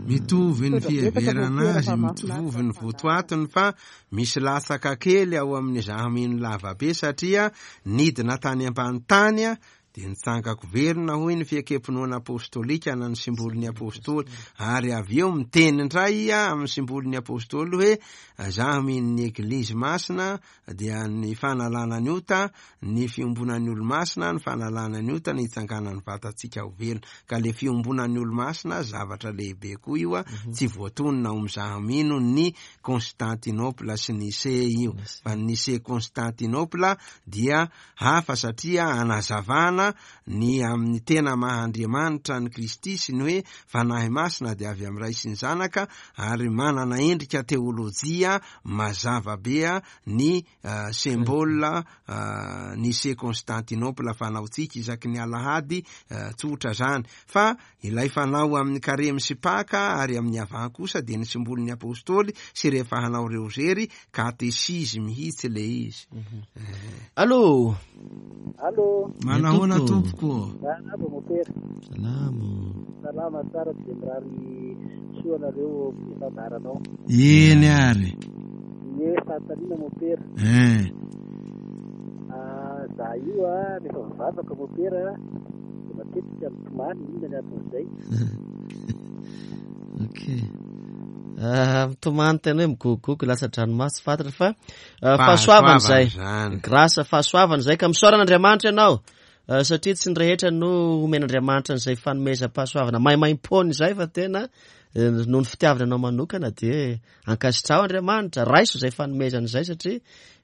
Mitovy ny
Misaotra betsaka
fiheverana
mopera
azy,
fa mahafinaritra
mitovy ny
ny fandaharana.
votoatiny fa misy latsaka kely ao amin'ny zahamino lavabe satria nidina tany ambany tany dia nitsangako velona hoy ny fiekempinoana apostolika na ny simbolin'ny apôstôly, ary avy eo miteny indray amin'ny simbolin'ny apôstôly hoe zaho mino ny eglizy masina dia ny fanalana ny ota, ny fiombonan'ny olomasina, ny fanalana ny ota, ny hitsanganan'ny vatantsika ho velona. Ka le fiombonan'ny olomasina zavatra lehibe koa io a, tsy voatonona ao amin'ny zaho mino ny Constantinople sy Nicée io, fa ny Nicée Constantinople dia hafa satria anazavana fanambarana ny amin'ny tena maha Andriamanitra an'i Kristy sy ny hoe Fanahy Masina dia avy amin'ny Ray sy ny Zanaka ary manana endrika teolojia mazava be ny symbole Nicée Constantinople fanaontsika isaky ny alahady tsotra zany fa ilay fanao amin'ny karemy sy paka ary amin'ny avant kosa dia ny simbolin'ny apostoly sy rehefa hanao reozery katesizy mihitsy le izy.
Allo.
Allo.
Manahoana tompoko?
Miarahaba mopera.
Salama.
Salama tsara dia mirary soa anareo amin'ny fandaharanao.
Eny ary.
Ie, fanontaniana mopera.
Eh.
Ah, za io a, rehefa mivavaka mopera dia matetika mitomany, inona ny anton'izay?
Ok. Ah, mitomany tena hoe migogogo latsa-dranomaso tsy fantatra fa ah, fahasoavana izay. Grâce fahasoavana izay ka misaorana Andriamanitra ianao. Ah, satria tsy ny rehetra no omen'Andriamanitra an'izay fanomezam-pahasoavana maimaim-poana izay fa tena eh, noho ny fitiavana anao manokana dia ankasitraho Andriamanitra, raiso izay fanomezana izay satria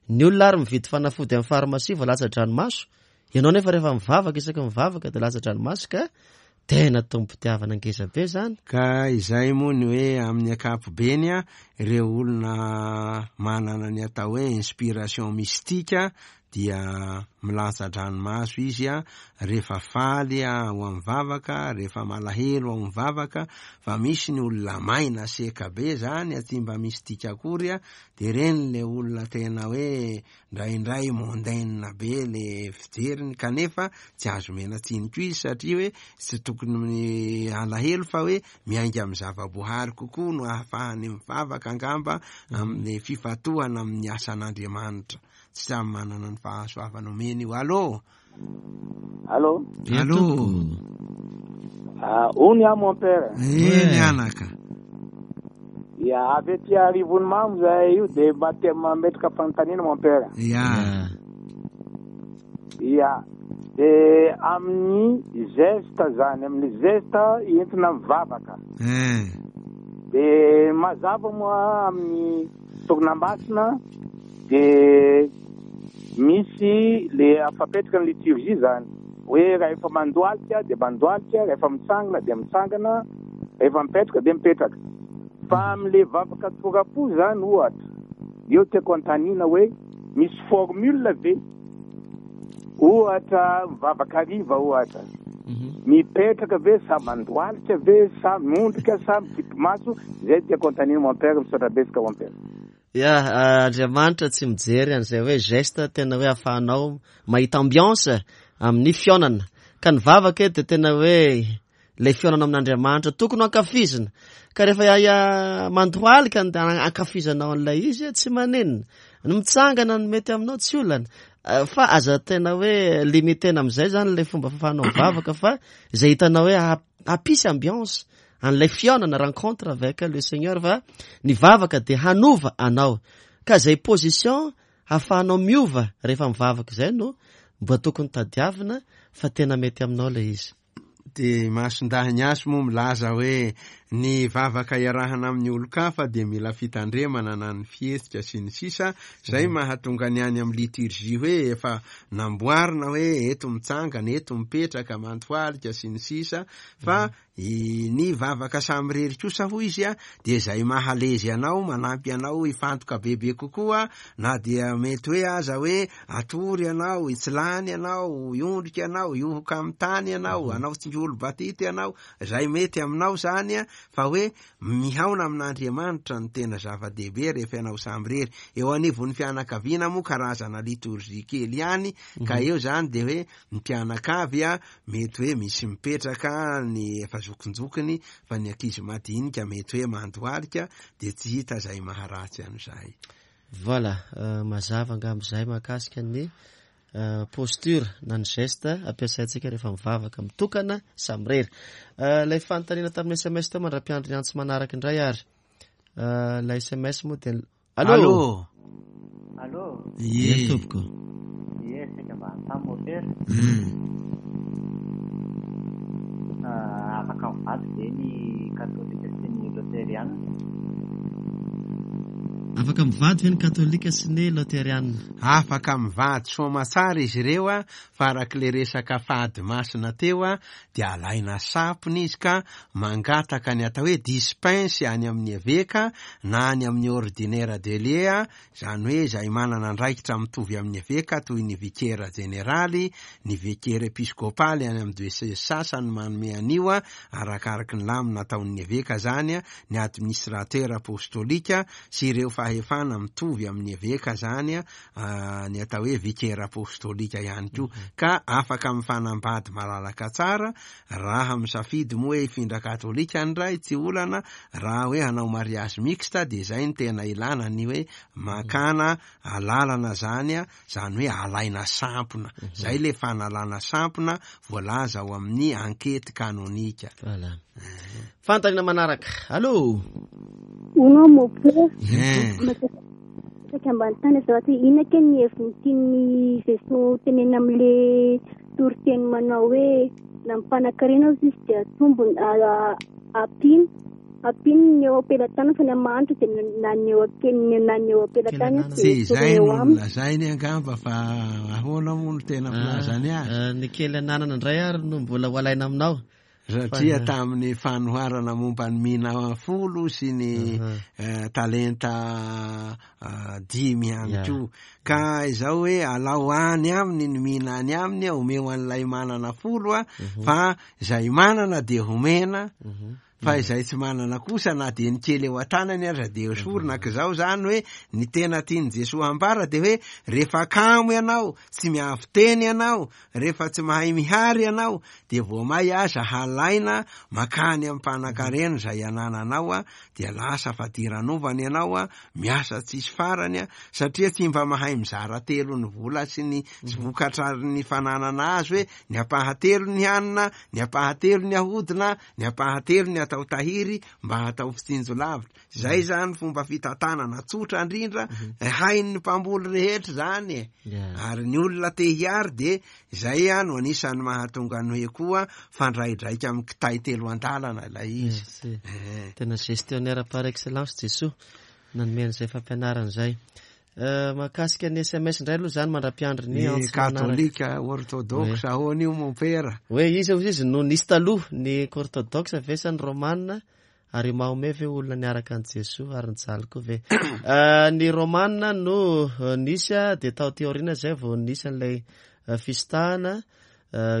ny olona ary mividy fanafody amin'ny farmasia vao latsa-dranomaso. Ianao nefa rehefa mivavaka isaky mivavaka dia latsa-dranomaso ka tena tompom-pitiavana ngeza be izany.
Ka izay moa ny hoe amin'ny ankapobeny ireo olona manana ny atao hoe inspiration mystique dia milatsa-dranomaso izy rehefa faly ao amin'ny vavaka, rehefa malahelo ao amin'ny vavaka, fa misy ny olona maina seka be zany tsy mba mystique akory dia ireny le olona tena hoe ndraindray mondaine be le fijeriny kanefa tsy azo omena tsiny koa izy satria hoe tsy tokony alahelo fa hoe miainga amin'ny zava-boahary kokoa no ahafahany mivavaka angamba amin'ny fifantohana amin'ny asan'Andriamanitra. Tsy samy manana ny fahasoavana omeny io. Allô?
Allô?
Allô?
Ah, hono aho mon père.
Eny anaka.
Ya, avy aty Arivonimamo zahay io dia mba te mametraka fanontaniana mon père.
Ya.
Ya. Dia amin'ny geste zany, amin'ny geste entina mivavaka.
Eh.
Dia mazava moa amin'ny sorona masina dia misy le afapetraka ny liturgie zany hoe rehefa mandohalika dia mandohalika, rehefa mitsangana dia mitsangana, rehefa mipetraka dia mipetraka. Fa amin'le vavaka tora-po zany ohatra, eo tiako anontaniana hoe misy formule ve? Ohatra mivavaka hariva ohatra, mipetraka ve sa mandohalika ve sa miondrika sa mikipy maso? Zay tiako anontaniana mon père, misaotra betsaka mon père.
Ya, Andriamanitra tsy mijery an'izay hoe geste tena hoe ahafahanao mahita ambiance amin'ny fihaonana. Ka ny vavaka eto dia tena hoe ilay fihaonana amin'Andriamanitra tokony ho ankafizina. Ka rehefa mandohalika ny ankafizanao an'ilay izy, tsy maninona. Ny mitsangana no mety aminao tsy olana. Fa aza tena hoe limitena amin'izay zany ilay fomba fahafahanao mivavaka fa izay hitanao hoe hampisy ambiance an'ilay fihaonana, rencontre avec le Seigneur, fa ny vavaka dia hanova anao. Ka izay position hahafahanao miova rehefa mivavaka izay no mba tokony tadiavina fa tena mety aminao ilay izy.
Dia Masindahy Ignace moa milaza hoe ny vavaka iarahana amin'ny olon-kafa dia mila fitandremana na ny fihetsika sy ny sisa, izay mahatonga ny any amin'ny liturgie hoe efa namboarina hoe eto mitsangana, eto mipetraka, mantohalika sy ny sisa, fa Ny vavaka samirery kosa hoy izy dia izay mahalezy anao, manampy anao hifantoka bebe kokoa na dia mety hoe aza hoe atory ianao, hitsilany ianao, hiondrika ianao, hihohoka amin'ny tany ianao, hanao tsingolo-batity ianao, izay mety aminao izany fa hoe mihaona amin'Andriamanitra no tena zava-dehibe rehefa ianao samirery. Eo anivon'ny fianakaviana moa karazana litorjia kely ihany ka eo izany dia hoe Ny mpianakavy mety hoe misy mipetraka ny efa zokinjokiny fa ny ankizy madinika mety hoe mandohalika dia tsy hita izay maharatsy an'izay.
Voilà, mazava angamba izay mahakasika ny posture na ny geste ampiasaintsika rehefa mivavaka mitokana samirery. Ilay fanontaniana tamin'ny SMS teo mandra-piandry ny antso manaraka indray ary. Ilay SMS moa dia Allô?
Allô?
Allô?
Ie.
Ie, tompoko.
Ie, saika mba hanontany môpera. Afaka mivady ve ny katolika sy ny loteriana?
Afaka mivady ve ny katolika sy ny loterianina?
Afaka mivady soamatsara izy ireo a, fa arak'ilay resaka fady masina teo a, dia alaina sampona izy ka mangataka ny atao hoe dispense any amin'ny eveka na any amin'ny ordinaire de lieu a, izany hoe izay manana andraikitra mitovy amin'ny eveka toy ny vikera jeneraly, ny vikera episkopaly any amin'ny diocese sasany manome an'io a, arakaraky ny lamina ataon'ny eveka izany a, ny administrateur apostolika sy ireo fahefana mitovy amin'ny eveka izany a, ny atao hoe vikera apostolika ihany koa, ka afaka mifanambady malalaka tsara raha misafidy moa hoe hifindra katolika ny ray, tsy olana, raha hoe hanao mariage mixte dia izay no tena ilana ny hoe makana alalana zany a, zany hoe alaina sampona, zay le fanalana sampona voalaza ao amin'ny ankety kanonika.
Voilà. Fanontaniana manaraka. Allô?
Hono mopera. Saika mba nitany azafady hoe inona kay ny heviny tian'i Jesoa tenenina amin'le toriteny manao hoe na mpanankarena aza izy dia atombony ampiana ampiany ny eo am-pelatanana fa ny amin'ny mahantra dia na ny eo am-pe- na ny eo am-pelatanana
Tsy
dia
izay
eo
no
aminy.
nolazainy angamba fa ahoana moa no tena filazany azy?
Ny kely ananana indray ary no mbola ho alaina aminao.
Satria tamin'ny fanoharana momba ny mina folo sy ny talenta dimy ihany koa. Ka izao hoe alao any aminy ny mina any aminy, omeo an'ilay manana folo a, fa izay manana dia homena, fa izay tsy manana kosa na dia ny kely eo an-tanany aza dia esorina. Ka izao izany hoe ny tena tian'i Jesoa hambara dia hoe rehefa kamo ianao, tsy miavo-teny ianao, Rehefa tsy mahay mihary ianao dia vao may aza halaina makany amin'ny mpanankarena izay anananao a, dia lasa fadiranovana ianao a, miasa tsisy farany a, satria tsy mba mahay mizara telo ny vola sy ny vokatra ny fananana azy hoe ny ampahatelony hanina, ny ampahatelony ahodina, ny ampahatelony atao tahiry mba hatao fitsinjo lavitra. Zay zany fomba fitantanana tsotra indrindra hain'ny mpamboly rehetra zany e. Ary ny olona te hiary de zay a no anisan'ny mahatonga ny hoe koa fandraidraika amin'ny kitay telo an-dalana ilay izy.
Tena gestionnaire par excellence Jesoa nanome an'izay fampianarana izay. Mahakasika ny SMS indray aloha zany mandra-piandry ny
Ny
antso manaraka.
katolika, orthodoxe, ahoana io mompera?
Hoe iza hozy izy no nisy taloha, ny orthodoxe ve sa ny romana? Ary i Mahomet ve olona niaraka an'i Jesoa ary nijaly koa ve? Ny Romana no nisy dia tao aty aoriana izay vao nisy an'ilay fisintahana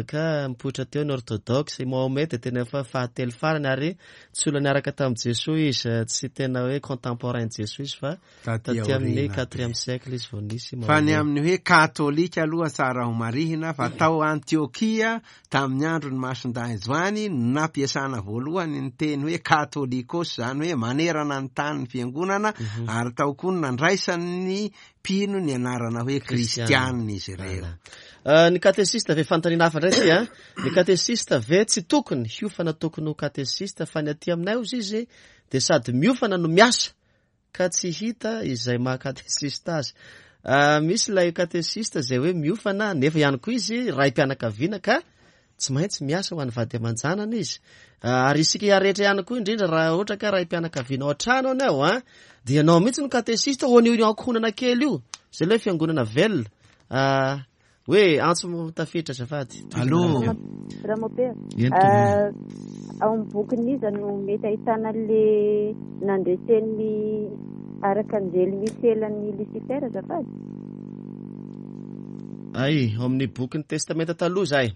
ka mipoitra teo ny orthodoxe. I Mahomet dia tena efa fahatelo farany ary tsy olona niaraka tamin'i Jesoa izy, tsy tena hoe contemporain-n'i Jesoa izy fa
Taty
taty amin'ny
aoriana be.
quatrième siècle izy vao nisy
Fa ny
Mahomet.
amin'ny hoe katolika aloha tsara ho marihina fa tao Antiokia tamin'ny andron'i Masindahy Joany no nampiasana voalohany ny teny hoe katolikos, izany hoe manerana ny tany ny fiangonana, ary tao koa no nandraisan'ny mpino ny anarana hoe kristiana izy ireo.
Ny katesista ve, fanontaniana hafa indray ity an, ny katesista ve tsy tokony hiofana tokony ho katesista fa ny aty aminay hozy izy dia sady miofana no miasa ka tsy hita izay maha katesista azy. Misy ilay katesista izay hoe miofana nefa ihany koa izy raim-pianakaviana ka tsy maintsy miasa ho an'ny vady aman-janany izy. Ary isika rehetra ihany koa indrindra raha ohatra ka raim-pianakaviana ao an-trano ianao an, dia ianao mihitsy no katesista ho an'io ankohonana kely io, izay ilay fiangonana velona. Hoe antso tafiditra azafady.
Allô.
Ramopera.
Eny tompoko.
Ao amin'ny bokin'iza no mety ahitana le nandresen'ny arkanjely Michel an'i Lucifer azafady?
Ay, ao amin'ny bokin'ny Testamenta Taloha izay.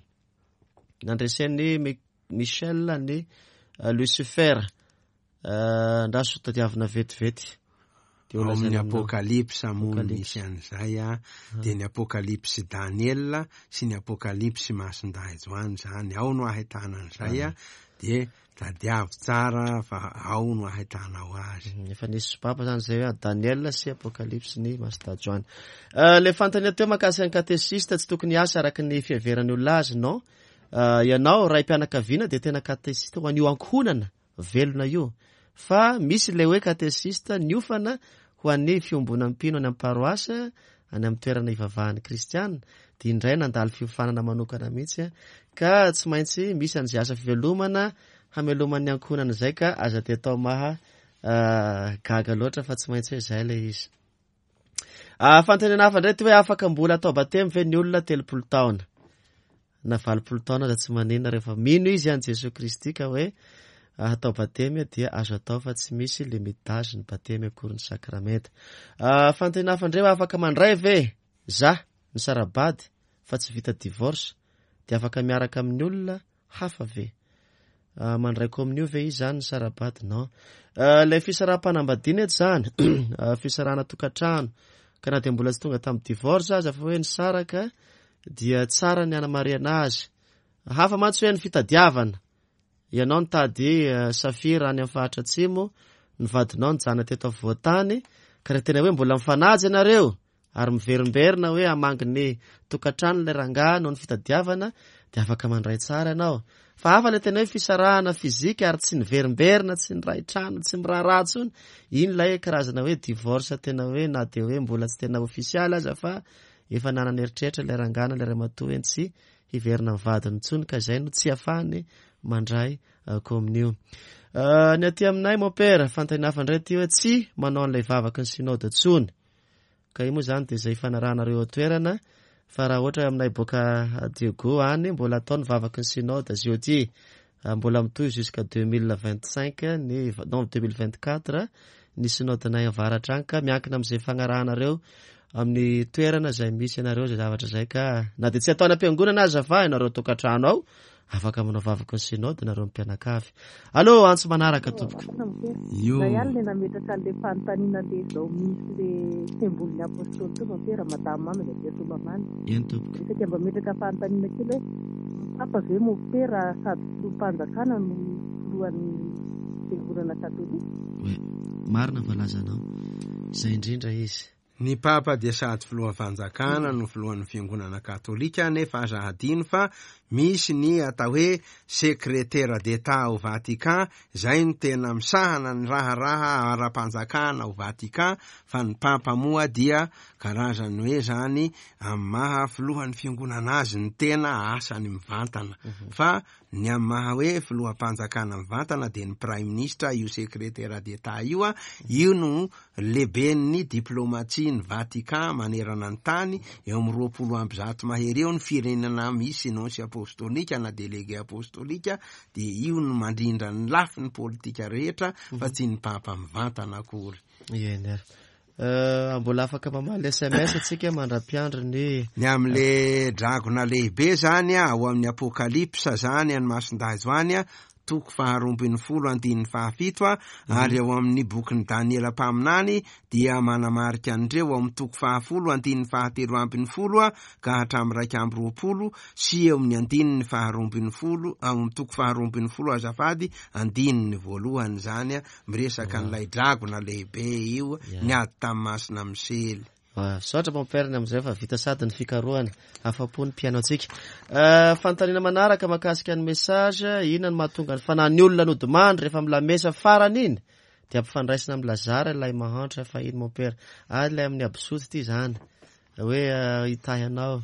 Nandresen'i Michel an'i Lucifer. Andraso tadiavina vetivety. Dia ho
Ao amin'ny
lazaina aminao.
Apokalypsa moa no
Apokalypsa.
misy an'izay a, dia ny Apokalypsy Daniela sy ny Apokalypsy Masindahy Joany izany, ao no ahitana an'izay a, dia tadiavo tsara fa ao no ahitanao azy.
Efa nisy sopapa izany izay hoe Daniela sy Apokalypsy ny Masindahy Joany. Ilay fanontaniana teo mahakasika ny katesista tsy tokony hiasa araka ny fiheveran'ny olona azy, non. Ianao raim-pianakaviana dia tena katesista ho an'io ankohonana velona io. Fa misy ilay hoe katesista niofana ho an'ny fiombonan'ny mpino any amin'ny paroasy, any amin'ny toerana ivavahan'ny kristiana, dia indray nandalo fiofanana manokana mihitsy, ka tsy maintsy misy an'izay asa fivelomana hameloman'ny ankohonana izay ka aza dia atao maha gaga loatra fa tsy maintsy hoe izay ilay izy. Fanontaniana hafa indray ty hoe afaka mbola atao batemy ve ny olona 30 taona na 80 taona aza tsy maninona rehefa mino izy an'i Jesoa Kristy ka hoe atao batemy dia azo atao fa tsy misy limite d'âge ny batemy akory ny sakramenta. Fanontaniana hafa indray hoe afaka mandray ve za nisara-bady fa tsy vita divorce dia afaka miaraka amin'ny olona hafa ve? Mandray kominio ve izy zany nisara-bady? Non. Ilay fisaraham-panambadiana eto zany, fisarahana tokantrano, ka na dia mbola tsy tonga tamin'ny divorce aza fa hoe nisaraka dia tsara ny hanamarihana azy. Hafa mantsy hoe ny fitadiavana. Ianao nitady safira any amin'ny faritra atsimo, ny vadinao nijanona teto afovoan-tany, ka raha tena hoe mbola mifanaja ianareo, ary miverimberina hoe hamangy ny tokantrano ilay rangahy noho ny fitadiavana dia afaka mandray tsara ianao. Fa hafa ilay tena hoe fisarahana fizika ary tsy niverimberina, tsy niray trano, tsy miraharaha intsony. Iny ilay karazana hoe divorce tena hoe na dia hoe mbola tsy tena ofisialy aza fa efa nanana eritreritra ilay rangahy na ilay ramatoa hoe tsy hiverina amin'ny vadiny intsony ka izay no tsy ahafahany mandray kominio. Ny aty aminay mon père, fanontaniana hafa indray ity hoe tsy manao an'ilay vavaky ny synode intsony. Ka io moa izany dia izay ifanarahanareo eo an-toerana fa raha ohatra aminay boaka Diego any mbola atao ny vavaky ny synode jeudi mbola mitohy jusqu'à 2025 ny non 2024 ny synode-nay avaratra any ka miankina amin'izay fagnarahanareo amin'ny toerana izay misy anareo izay zavatra izay ka na dia tsy atao any am-piangonana aza fa ianareo tokantrano ao Afaka manao vavaka ny synode nareo mpianakavy. Allo, antso manaraka tompoko.
Io. Zay ihany le nametraka an'le fanontaniana le zao misy le sembolin'ny apostoly teo mompera madame mamy avy aty Soamamana.
Eny tompoko.
Dia saika mba metraka fanontaniana kely hoe ny papa ve mompera sady filoham-panjakana no filohan'ny fiangonana katolika?
Ouais, marina ny voalazanao. Izay indrindra izy.
Ny Papa dia sady filohan'ny fanjakana no filohan'ny fiangonana katolika nefa aza hadino fa misy ny atao hoe secrétaire d'Etat ao Vatican izay no tena misahana ny raharaha ara-panjakana ao Vatican fa ny Papa moa dia karazany hoe zany amin'ny maha filohan'ny fiangonana azy ny tena asany mivantana fa Ny amin'ny maha hoe filoham-panjakana mivantana dia ny praiminisitra io secrétaire d'Etat io, io no lehiben'ny diplomatie ny Vatican manerana ny tany, eo amin'ny 120 mahery eo ny firenena misy nonce apostolika na délégué apostolika dia io no mandrindra ny lafiny politika rehetra fa tsy ny papa mivantana akory.
Eny ary. Mbola afaka mamaly sms atsika mandra-piandry ny.
Ny amin'le dragona lehibe zany ao amin'ny Apokalypsa zany any Masindahy Joany toko faharoambinifolo andininy fahafito ary ao amin'ny bokin'i Daniela mpaminany dia manamarika an'ireo ao amin'ny toko fahafolo andininy fahatelo ambinifolo ka hatramin'ny 21 sy eo amin'ny andininy faharoambinifolo ao amin'ny toko faharoambinifolo azafady andininy voalohany zany miresaka an'ilay dragona lehibe io niady tamin'ny Masina Misely.
Misaotra mon père ny amin'izay fa vita sady ny fikarohana. Afa-po ny mpihaino antsika. Fanontaniana manaraka mahakasika ny message, inona no mahatonga ny fanahin'ny olona nodimandry rehefa milamesa farany iny dia ampifandraisina amin'i Lazara ilay mahantra fahiny mon père. Ary ilay amin'ny absoty ity izany hoe hitahy anao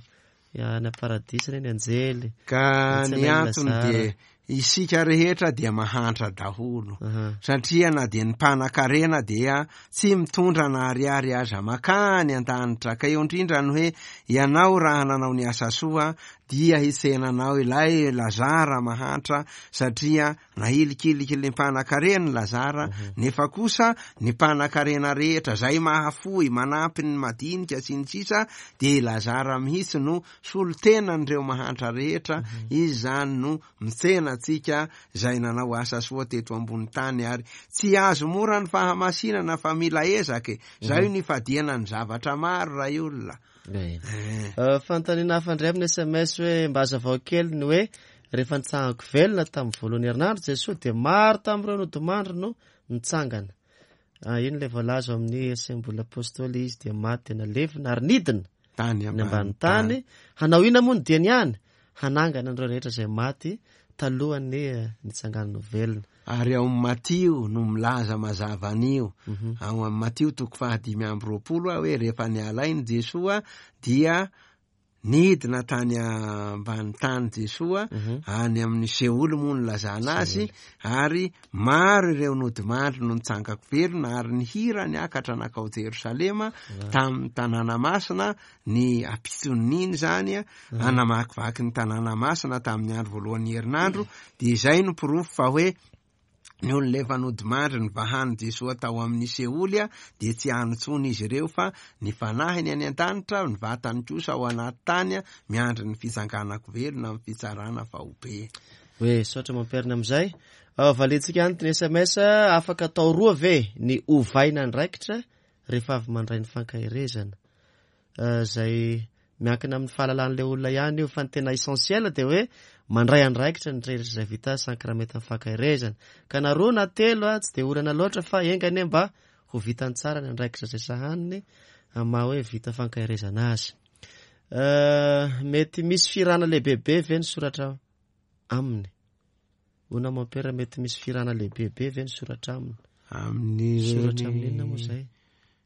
Any am-paradisa anie ny anjely.
Ka ny antony dia isika rehetra dia mahantra daholo. Satria na dia ny mpanakarena dia tsy mitondra na ariary aza makany an-danitra. Ka eo indrindra ny hoe ianao raha nanao ny asa soa dia hitsenanao ilay Lazara mahantra satria Nahilikiliky ny mpanakarena i Lazara, nefa kosa ny mpanakarena rehetra izay mahafoy, manampy ny madinika sy ny sisa dia i Lazara mihitsy no solontenan'ireo mahantra rehetra, izy izany no mitsena antsika izay nanao asa soa teto ambony tany ary tsy azo mora ny fahamasinana fa mila ezaka e, zay io nifadiana ny zavatra maro ray olona.
Fanontaniana hafa indray amin'ny sms hoe mba hazavao kely ny hoe rehefa nitsangako velona tamin'ny voalohany herinandro Jesoa dia maro tamin'ireo nodimandry no nitsangana. Ah, iny ilay voalaza ao amin'ny Asembola Apostoly izy dia maty dia nalevina ary nidina
tany
ny ambany tany. Hanao inona moa ny diany ihany? Hanangana an'ireo rehetra izay maty talohan'ny eh, nitsanganany ho velona.
Ary ao amin'ny Matio no milaza mazava an'io. Ao amin'ny Matio toko faha 25 hoe rehefa niala aina Jesoa dia. Nidina tany ambany tany Jesoa, any amin'ny Seoly moa no nilazana azy, ary maro ireo nodimandry no nitsangako velona, ary nihira niakatra nankao Jerosalema tamin'ny tanàna masina, ny ampitson'iny izany, namakivaky ny tanàna masina tamin'ny andro voalohan'ny herinandro, dia izay no porofo fa hoe Ny olona efa nodimandry nivahan'i Jesoa tao amin'ny Seoly dia tsy any intsony izy ireo fa ny fanahiny any an-danitra, ny vatany kosa ao anaty tany miandry ny fitsanganan-ko velona amin'ny fitsarana faobe.
Hoe saotra mampiarina amin'izay. Valiantsika any ny sms, afaka atao roa ve ny ovaina andraikitra rehefa avy mandray ny fankaherezana? Izay miankina amin'ny fahalalan'ilay olona ihany io, fa ny tena essentiel dia hoe mandray andraikitra ny rehetra izay vita sakramentan'ny fankaherezana. Ka na roa na telo tsy dia olana loatra fa enga anie mba ho vitany tsara ny andraikitra izay sahaniny amin'ny maha hoe vita fankaherezana azy. Mety misy firana lehibebe ve ny soratra aminy? Hoy Mompera, mety misy firana lehibebe ve ny soratra aminy?
Amin'ireny
Soratra amin'ny inona moa izay?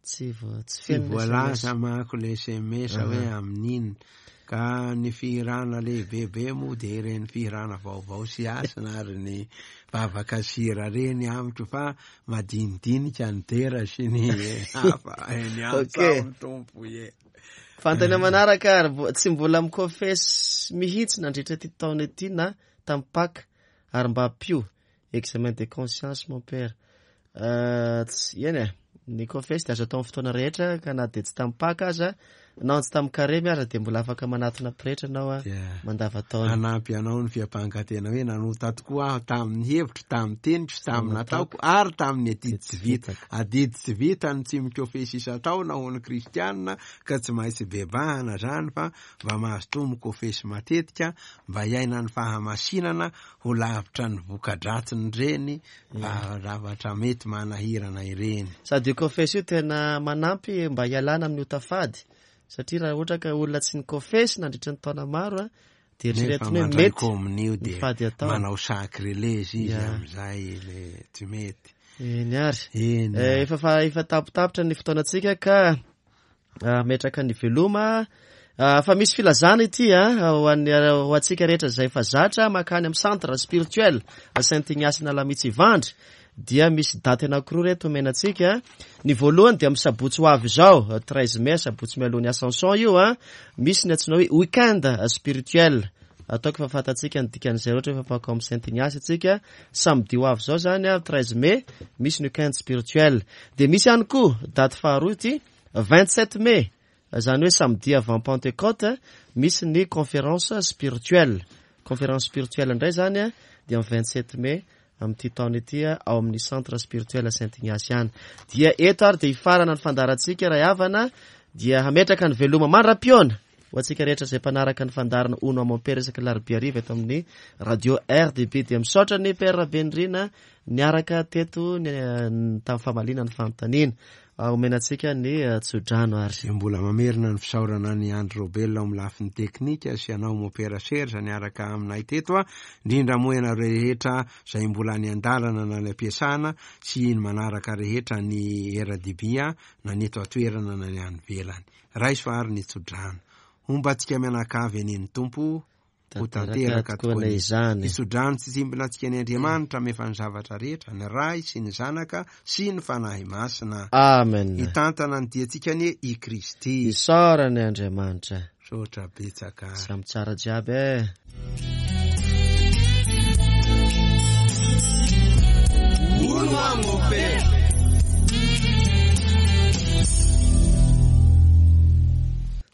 Tsy vo, tsy
Tsy
feno ny
voalaza
SMS.
manko le SMS hoe amin'inona. Ka ny fihirana lehibebe moa dia ireny fihirana vaovao sy hasina ary ny vavaka sira ireny amiko fa madinidinika ny dera sy ny hafa. Ny
Ok.
antsaho Tompo ie.
Fantany manaraka ary tsy mbola mikofesy mihitsy nandritra ity taona ity na tamin'ny Paka ary mba ampio examen de conscience mon père. Tsy, eny e, ny confesse dia azo atao amin'ny fotoana rehetra ka na dia tsy tamin'ny Paka aza na tsy tamin'ny karemy aza dia mbola afaka manatona pretra ianao a,
Dia
mandavantaona.
hanampy anao ny fiampangan-tena hoe nanota tokoa aho tamin'ny hevitro, tamin'ny teniko sy tamin'ny nataoko ary tamin'ny adidy tsy vita. Adidy tsy vita ny tsy mikofesy isan-taona ho an'ny kristianina ka tsy maintsy bebahana izany fa mba mazotoa mikofesy matetika mba hiaina ny fahamasinana ho lavitra ny voka-dratsin'ireny zavatra mety manahirana ireny.
Sady io kofesy io tena manampy mba hialana amin'ny ota fady, satria raha ohatra ka olona tsy nikofesy nandritra ny taona maro dia
Nefa
eritreretiny hoe
mandray
mety
komonio
ny
dia
fady atao.
manao sacrilège izy
Ya.
amin'izay le tsy mety.
Eny ary.
Eny ary.
Efa efa tapitapitra ny fotoanantsika ka ametraka ny veloma. Fa misy filazana ity, ho an'ny, ho antsika rehetra izay efa zatra mankany amin'ny centre spirituel Saint Ignace Analamitsy Ivandry, dia misy daty anankiroa reto omena antsika. Ny voalohany dia amin'ny sabotsy ho avy izao, 13 mai, sabotsy mialoha ny Ascension io, misy ny antsoina hoe weekend spirituel. Ataoko fa fantatsika ny dikan'izay rehetra efa mpankao amin'ny Saint Ignace antsika. Samedi ho avy izao zany, 13 mai, misy ny weekend spirituel. Dia misy ihany koa daty faharoa ity, 27 mai, zany hoe samedi avant Pentecôte, misy ny conférence spirituelle. Conférence spirituelle indray zany dia amin'ny 27 mai amin'ity taona ity ao amin'ny centre spirituel Saint Ignace ihany. Dia eto ary dia hifarana ny fandaharantsika ray havana, dia hametraka ny veloma mandra-pihaona ho antsika rehetra izay mpanaraka ny fandaharana Hono Mon Père isaky ny alarobia hariva eto amin'ny radio RDB. Dia misaotra ny Père Rabenirina niaraka teto tamin'ny famaliana ny fanontaniana. Omena antsika ny tsodrano ary.
Dia mbola mamerina ny fisaorana an'i Andry Robel ao amin'ny lafiny teknika sy anao mon père Serge niaraka aminay teto, indrindra moa ianareo rehetra izay mbola any an-dalana na any am-piasana sy ny manaraka rehetra ny RDB na ny eto an-toerana na ny any ivelany. Raiso ary ny tsodrano. Homba antsika mianakavy anie ny Tompo. Ho tanteraka tokoa
izany.
Hitsodrano tsy tsimbina antsika ny Andriamanitra amefa ny zavatra rehetra, ny Ray sy ny Zanaka sy ny Fanahy Masina.
Amen.
Hitantana ny diantsika anie i Kristy.
Isaorana Andriamanitra.
Misaotra betsaka.
Samy tsara jiaby e.
Hono aho mon père.